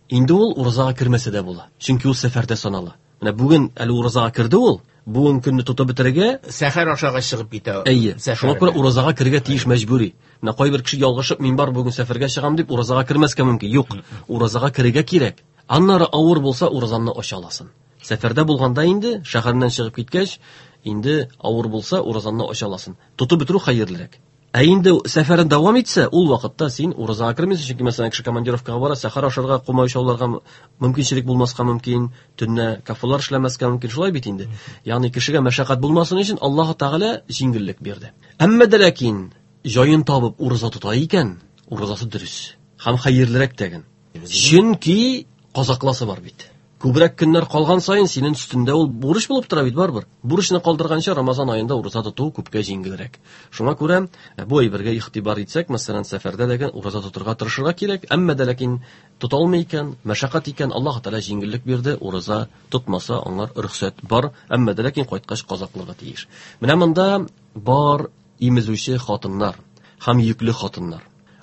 Speaker 5: Инде ул уразага кермәсә дә була, чөнки ул сәфәрдә санала. Менә бүген әле уразага керде ул, бүген көнне тотып бетерергә
Speaker 4: сәхәр ашагач чыгып китә.
Speaker 5: Әйе, шуңа күрә уразага керергә тиеш мәҗбүри. Менә кайбер кеше ялгышып, мин бар бүген сәфәргә чыгам дип уразага кермәскә мөмкин. Юк, уразага керергә кирәк. Аннары авыр булса уразаңны ача аласың. Сәфәрдә булганда инде шәһәреннән чыгып киткәч, инде авыр булса уразаңны ача аласың. Тотып бетерү хәерлерәк. Ә инде сәфәрен дәвам итсә, ул вакытта син уразага кермисең, чөнки мәсәлән кеше командировкага бара, сәхәр ашарга комачауларга мөмкинчелек булмаска мөмкин, төнлә кафелар эшләмәскә мөмкин, шулай бит инде. Ягъни кешегә мәшәкать булмасын өчен Аллаһ Тәгалә җиңеллек бирде. Әмма дә ләкин җаен табып ураза тота икән, уразасы дөрес һәм хәерлерәк тәген. Чөнки казакласы бар бит. Күбрәк көннәр калган саен синең өстендә ул бурыч булып тора бит барыбер. Бурычны калдырганча Рамазан аенда ураза тоту күпкә җиңелрәк. Шуңа күрә бу әйбергә игътибар итсәк, мәсәлән, сәфәрдә дә ураза тотырга тырышырга кирәк. Әмма дә ләкин тота алмый икән, мәшәкать икән, Аллаһ Тәгалә җиңеллек бирде, ураза тотмаса аңар рөхсәт бар, әмма дә ләкин кайткач каза кылырга тиеш. Менә монда бар имезүче хатыннар һәм йөкле хатыннар.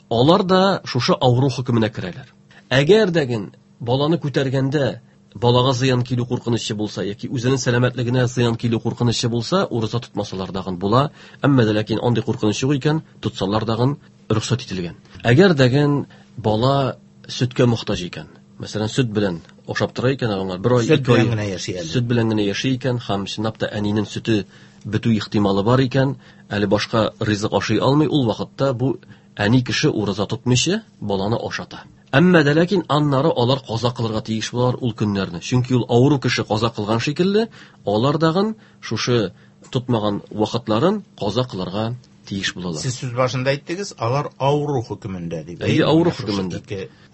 Speaker 5: Алар да шушы авыру хөкеменә керәләр. Әгәр дә баланы күтәргәндә балага зыян килү куркынычы булса яки үзенең сәламәтлегенә зыян килү куркынычы булса, ураза тотмасалар дагын була. Әмма дә ләкин андый куркыныч юк икән, тотсалар дагын рөхсәт ителгән. Әгәр дәген бала сөткә мохтаҗ икән, мәсәлән, сөт белән ашап тора икән, аңар бер ай,
Speaker 4: Сөт
Speaker 5: ике ай
Speaker 4: белән генә яши әле.
Speaker 5: Сөт белән генә яши икән һәм чынлап та әнинең сөте бетү ихтималы бар икән, әле башка ризык ашый алмый, ул вакытта бу әни кеше ураза тотмыйча баланы ашата. Әмма дә ләкин аннары алар каза кылырга тиеш булалар ул көннәрне. Чөнки ул авыру кеше каза кылган шикелле, алар дагын шушы тотмаган вакытларын каза кылырга тиеш булалар.
Speaker 4: Сез сүз башында әйттегез, алар авыру хөкемендә дип.
Speaker 5: Әйе, авыру хөкемендә.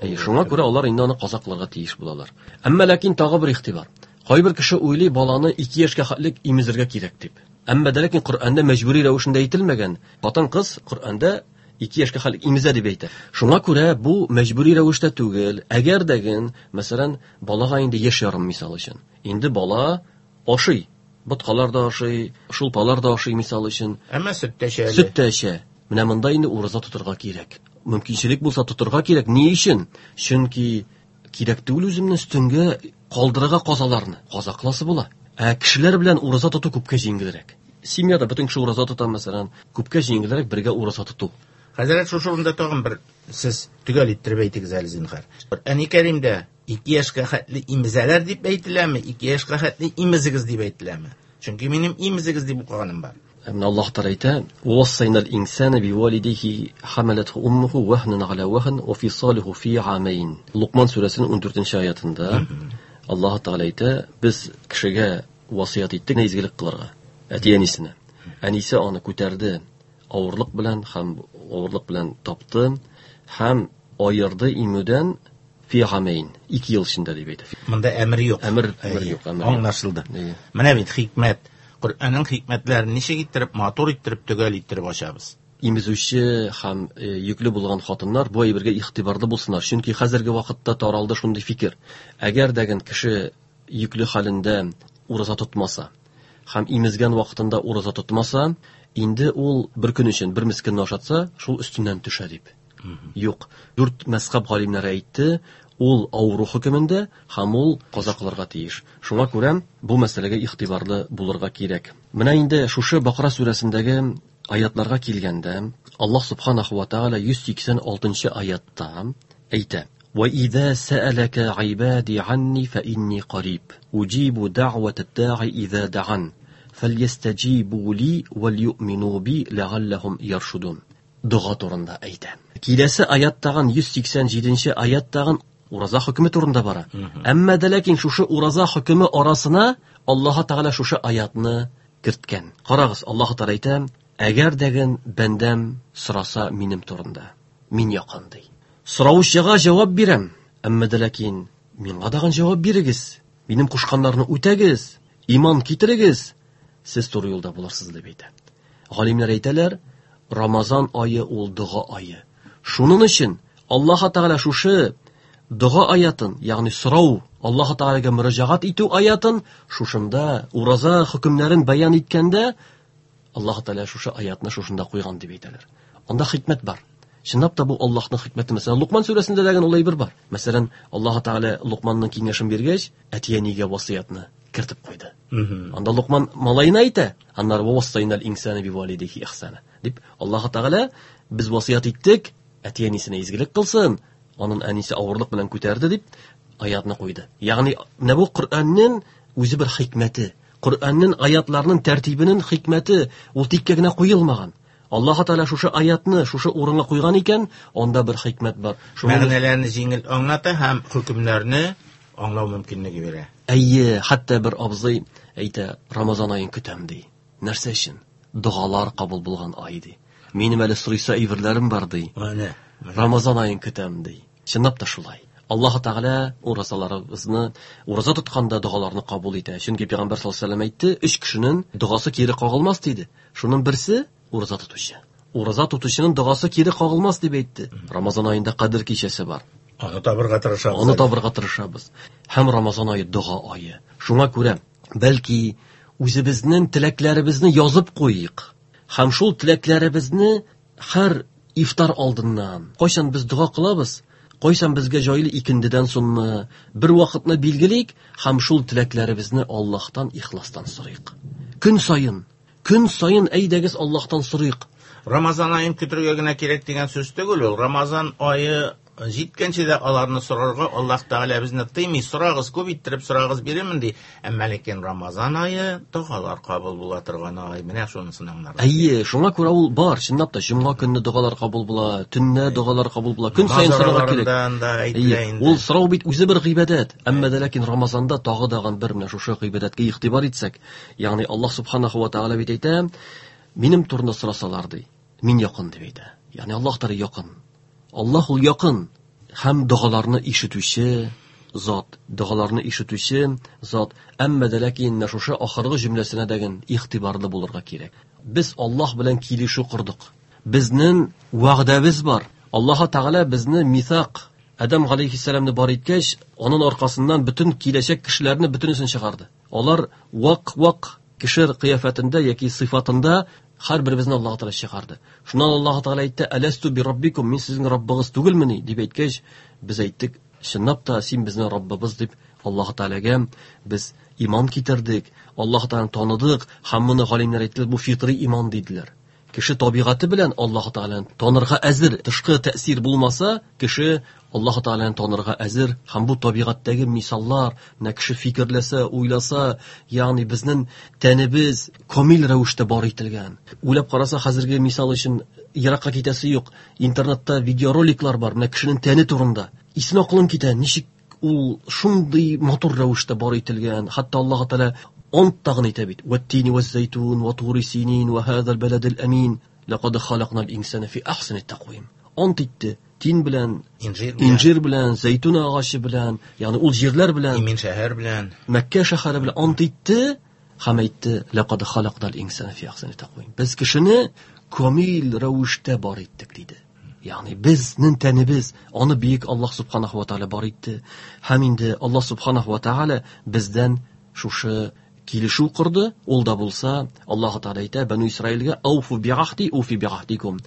Speaker 5: Әйе, шуңа күрә алар инде аны каза кылырга тиеш булалар. Әмма ләкин тагы бер игътибар. Кайбер кеше уйлый баланы 2 яшькә хәтлек имезергә кирәк дип. Әмма дә ләкин Коръәндә мәҗбүри рәвешендә әйтелмәгән. Хатын-кыз Коръәндә 2 яшькә хәтлек имезә дип әйтә. Шуңа күрә бу мәҗбүри рәвештә түгел. Әгәр дәген, мәсәлән, балага инде яшь ярым мисал өчен. Инде бала ашый. Боткалар да ашый, шулпалар да ашый мисал өчен.
Speaker 4: Әмма сөт тә эчә әле.
Speaker 5: Сөт тә эчә. Менә монда инде ураза тотырга кирәк. Мөмкинчелек булса тотырга кирәк. Ни өчен? Чөнки кирәк түгел үземне өстенгә калдырырга казаларны. Каза кыласы була. Ә кешеләр белән ураза тоту күпкә җиңелрәк. Семьяда бөтен кеше ураза тота, мәсәлән, күпкә җиңелрәк бергә ураза тоту.
Speaker 4: Хәзрәт, шушы урында тагын бер сез төгәл иттереп әйтегез әле, зинһар. Коръәни Кәримдә 2 яшькә хәтле имезәләр дип әйтеләме, 2 яшькә хәтле имезегез дип әйтеләме? Чөнки минем имезегез дип укыганым бар.
Speaker 5: Менә Аллаһ Тәгалә әйтә: "Вассайнал инсана бивалидейхи хамалатху уммуху вахнан аля вахн ва фисалуху фи амайн." Лукман сүрәсенең 14-нче аятында Аллаһ Тәгалә әйтә: "Без кешегә васыять иттек изгелек кылырга, әти-әнисенә. Әнисе аны күтәрде авырлык белән һәм авырлык белән тапты һәм аерды имүдән фи амайн, 2 ел эчендә дип әйтә.
Speaker 4: Монда әмер юк.
Speaker 5: Әмер юк, әмер юк.
Speaker 4: Аңлашылды. Менә бит хикмәт. Коръәннең хикмәтләрен ничек иттереп, матур иттереп, төгәл иттереп ачабыз.
Speaker 5: Имезүче һәм йөкле булган хатыннар бу әйбергә игътибарлы булсыннар. Чөнки хәзерге вакытта таралды шундый фикер. Әгәр дә кеше йөкле хәлендә ураза тотмаса һәм имезгән вакытында ураза тотмаса, инде ул бер көн өчен бер мискинне ашатса, шул өстеннән төшә дип. Юк. 4 мәзхәб галимнәре әйтте, ул авыру хөкемендә һәм ул каза кылырга тиеш. Шуңа күрә бу мәсьәләгә игътибарлы булырга кирәк. Менә инде шушы Бакара сүрәсендәге аятларга килгәндә, Аллаһ субханаху ва тааля 186 аятта әйтә: "Ва иза саалака гыйбади анни фа инни кариб, уҗибу дa'вата да'i иза да'ан, фальястаҗибу ли вал юъмину би ләгалләһум яршудун." Дога турында әйтә. Киләсе аяттагын 187 аяттагын ураза хөкеме турында бара. Әмма дә ләкин шушы ураза хөкеме арасына Аллаһ Тәгалә шушы аятны керткән. Карагыз, Аллаһ Тәгалә әйтә: "Әгәр дәген бәндәм сораса минем турында, мин якын ди. Сораучыга җавап бирәм, әмма дә ләкин миңа дагын җавап бирегез, минем кушканнарны үтәгез, иман китерегез, сез туры юлда булырсыз" дип әйтә. Галимнәр әйтәләр, Рамазан ае ул дога ае. Шуның өчен Аллаһ Тәгалә шушы дога аятын, ягъни сорау, Аллаһ Тәгаләгә мөрәҗәгать итү аятын шушында ураза хөкемнәрен бәян иткәндә Аллаһ Тәгалә шушы аятны шушында куйган дип әйтәләр. Анда хикмәт бар. Чынлап та бу Аллаһның хикмәте. Мәсәлән, Лукман сүрәсендә дә ул әйбер бар. Мәсәлән, Аллаһ Тәгалә Лукманның киңәшен биргәч, әти-әнигә васыятны кертеп куйды. Анда Лукман малаена әйтә, аннары вассайнал инсана бивалидейхи ихсана дип Аллаһ Тәгалә без васыят иттек, әти-әнисенә изгелек кылсын, аның әнисе авырлык белән күтәрде дип аятны куйды. Ягъни менә бу Коръәннең үзе бер хикмәте. Коръәннең аятларының тәртибенең хикмәте ул тиккә генә куелмаган. Аллаһ Тәгалә шушы аятны шушы урынга куйган икән, анда бер хикмәт бар.
Speaker 4: Мәгънәләрне җиңел аңлата һәм хөкемнәрне аңлау мөмкинлеге бирә.
Speaker 5: Әйе, хәтта бер абзый әйтә, Рамазан аен көтәм ди. Нәрсә өчен? Догалар кабул булган ай ди. Минем әле сорыйсы әйберләрем бар ди.
Speaker 4: Менә.
Speaker 5: Рамазан аен көтәм ди. Чынлап та шулай. Аллаһ Тәгалә уразаларыбызны, ураза тотканда догаларны кабул итә. Чөнки Пәйгамбәр саллаллаһу алейһи ва сәлләм әйтте, өч кешенең догасы кире кагылмас диде. Шуның берсе ураза тотучы. Ураза тотучының догасы кире кагылмас дип әйтте. Рамазан аенда Кадер кичәсе бар.
Speaker 4: Аны табырга тырышабыз.
Speaker 5: Аны табырга тырышабыз. Һәм Рамазан ае дога ае. Шуңа күрә, бәлки, үзебезнең теләкләребезне язып куйыйк. Һәм шул теләкләребезне һәр ифтар алдыннан, кайчан без дога кылабыз, кайчан безгә җайлы икендедән соңмы, бер вакытны билгелик һәм шул теләкләребезне Аллаһтан ихластан сорыйк. Көн саен, көн саен әйдәгез Аллаһтан сорыйк.
Speaker 4: Рамазан аен көтергә генә кирәк дигән сүз түгел ул. Рамазан ае җиткәнче дә аларны сорарга Аллаһ Тәгалә безне тыймый. Сорагыз, күп иттереп сорагыз, бирермен ди. Әмма ләкин Рамазан ае догалар кабул була торган ай. Менә шунысын аңларга.
Speaker 5: Әйе, шуңа күрә ул бар, чынлап та җомга көнне догалар кабул була, төнлә догалар кабул була. Көн саен сорарга кирәк.
Speaker 4: Да әйтелә инде.
Speaker 5: Ул сорау бит үзе бер гыйбадәт. Әмма дә ләкин Рамазанда тагы дагын бер менә шушы гыйбадәткә игътибар итсәк, ягъни Аллаһ субханаху ва тааля бит әйтә, минем турында сорасалар ди, мин якын дип әйтә. Ягъни Аллаһ Тәгалә якын. Аллаһ ул якын һәм догаларны ишетүче зат, догаларны ишетүче зат. Әмма дә ләкин менә шушы ахыргы җөмләсенә дәген игътибарлы булырга кирәк. Без Аллаһ белән килешү кордык. Безнең вәгъдәбез бар. Аллаһ Тәгалә безне мисак Адам алейхиссәламны бар иткәч, аның аркасыннан бөтен киләчәк кешеләрне бөтенесен чыгарды. Алар вак-вак кеше кыяфәтендә яки сыйфатында һәр беребезне Аллаһ Тәгалә чыгарды. Шуннан Аллаһ Тәгалә әйтте: "Әләсту би раббикум, мин сезнең Раббыгыз түгелмени?" дип әйткәч, без әйттек: "Чынлап та син безнең Раббыбыз" дип Аллаһ Тәгаләгә без иман китердек, Аллаһ Тәгаләне таныдык һәм моны галимнәр әйттеләр, бу фитри иман диделәр. Кеше табигате белән Аллаһ Тәгаләне танырга әзер, тышкы тәэсир булмаса, кеше Аллаһ Тәгаләне танырга әзер һәм бу табигатьтәге мисаллар, менә кеше фикерләсә, уйласа, ягъни безнең тәнебез камил рәвештә бар ителгән. Уйлап караса, хәзерге мисал өчен еракка китәсе юк. Интернетта видеороликлар бар, менә кешенең тәне турында. Исен акылың китә, ничек ул шундый матур рәвештә бар ителгән. Хәтта Аллаһ Тәгалә ант тагын әйтә бит. Вәттини вәз-зәйтун ва тури синин ва хазал баладил амин. Лақад халакнал инсана фи ахсани тaqвим. Ант итте. Тин белән, инжир белән, зәйтүн агачы белән, ягъни ул җирләр белән,
Speaker 4: Имин шәһәр белән,
Speaker 5: Мәккә шәһәре белән ант итте һәм әйтте: Лақад халакнал инсана фи ахсани тaqвим. Без кешене камил рәвештә бар иттек диде. Ягъни безнең тәнебез аны бөек Аллаһ субханаху ва тааля бар итте. Һәм инде Аллаһ субханаху ва тааля бездән шушы килешү корды. Ул да булса, Аллаһ Тааля әйтә Бану Исраилгә: "Ауфу биахди уфи биахдикум."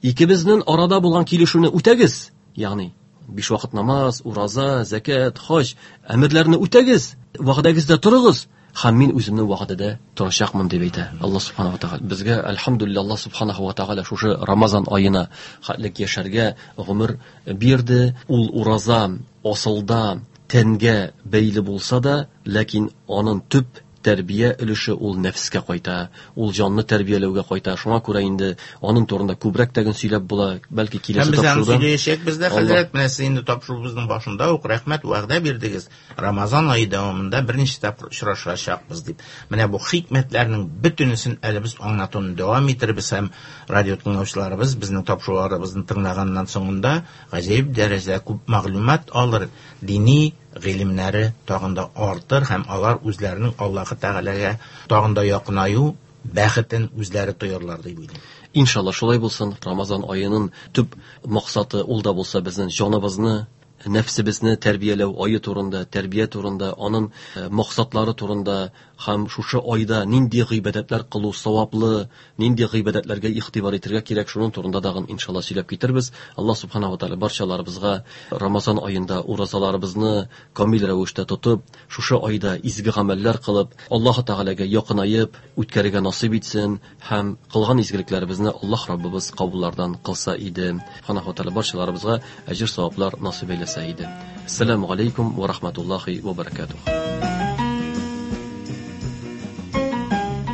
Speaker 5: Икебезнең арада булган килешүне үтәгез. Ягъни биш вакыт намаз, ураза, закат, хаҗ әмерләрне үтәгез, вәгъдәгездә торыгыз. Һәм мин үземнең вәгъдәдә торачакмын дип әйтә Аллаһ субханаху ва тааля. Безгә әлхәмдүлилләһ Аллаһ субханаху ва тааля шушы Рамазан аена хәтлек яшәргә гомер бирде. Ул ураза асылда тәнгә бәйле булса да, ләкин аның төп тәрбия өлеше ул нәфескә кайта, ул җанны тәрбияләүгә кайта. Шуңа күрә инде аның турында күбрәк тәген сөйләп була, бәлки киләсе
Speaker 4: Һәм без аны
Speaker 5: тапшыруда.
Speaker 4: сөйләячәкбез дә, хәзрәт, менә сез инде тапшыруыбызның башында ук рәхмәт вәгъдә бирдегез. Рамазан ае дәвамында берничә тапкыр очрашачакбыз дип. Менә бу хикмәтләрнең бөтенесен әле без аңлатуны дәвам итербез һәм радио тыңлаучыларыбыз безнең тапшыруларыбызны тыңлаганнан соңында гаҗәеп дәрәҗәдә күп мәгълүмат алыр, дини гыйлемнәре тагын да артыр һәм алар үзләренең Аллаһы Тәгаләгә тагын да якынаю бәхетен үзләре тоярлар дип уйлыйм.
Speaker 5: Иншалла шулай булсын. Рамазан аеның төп максаты ул да булса безнең җаныбызны, нәфсебезне тәрбияләү ае турында, тәрбия турында, аның максатлары турында һәм шушы айда нинди гыйбадәтләр кылу саваплы, нинди гыйбадәтләргә игътибар итәргә кирәк, шуның турында тагын иншалла сөйләп китербез. Аллаһ субханаһу ва тааля барчаларыбызга Рамазан аенда уразаларыбызны камил рәвештә тотып, шушы айда изге гамәлләр кылып, Аллаһ Тәгаләгә якынаеп үткәрергә насыйп итсен һәм кылган изгелекләребезне Аллаһ Раббыбыз кабуллардан кылса иде. Субханаһу ва тааля барчаларыбызга әҗер саваплар насыйп әйләсә иде. Ассаламу алейкум ва рахматуллахи ва баракатух.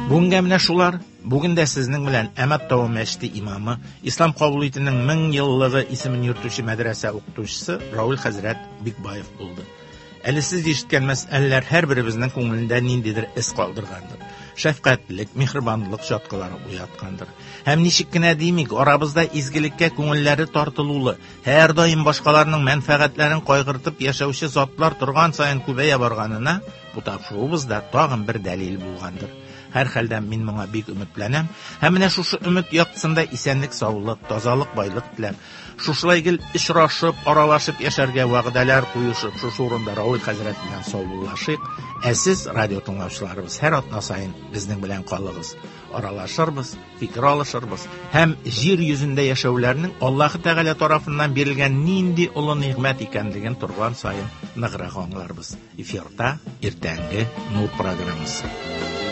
Speaker 4: Бүгенгә менә шулар. Бүген дә сезнең белән Әмәт тавы мәчете имамы, Ислам кабул итүнең 1000 еллыгы исемен йөртүче мәдрәсә укытучысы Рауль хәзрәт Бикбаев булды. Әле сез ишеткән мәсьәләләр һәрберебезнең күңелендә ниндидер эз калдыргандыр. шәфкатьлелек, миһербанлылык чаткылары уяткандыр. Һәм ничек кенә димик, арабызда изгелеккә күңелләре тартылулы, һәрдаим башкаларның мәнфәгатьләрен кайгыртып яшәүче затлар торган саен күбәя барганына бу тапшыруыбыз да тагын бер дәлил булгандыр. Һәрхәлдә мин моңа бик өметләнәм. Һәм менә шушы өмет яктысында исәнлек-саулык, тазалык, байлык теләп, шушылай гел очрашып, аралашып яшәргә вәгъдәләр куешып, шушы урында Равил хәзрәт белән саубуллашыйк. Ә сез, радио тыңлаучыларыбыз, һәр атна саен безнең белән калыгыз. Аралашырбыз, фикер алышырбыз һәм җир йөзендә яшәүләрнең Аллаһы Тәгалә тарафыннан бирелгән нинди олы нигъмәт икәнлеген торган саен ныграк аңларбыз. Эфирда иртәнге Нур программасы.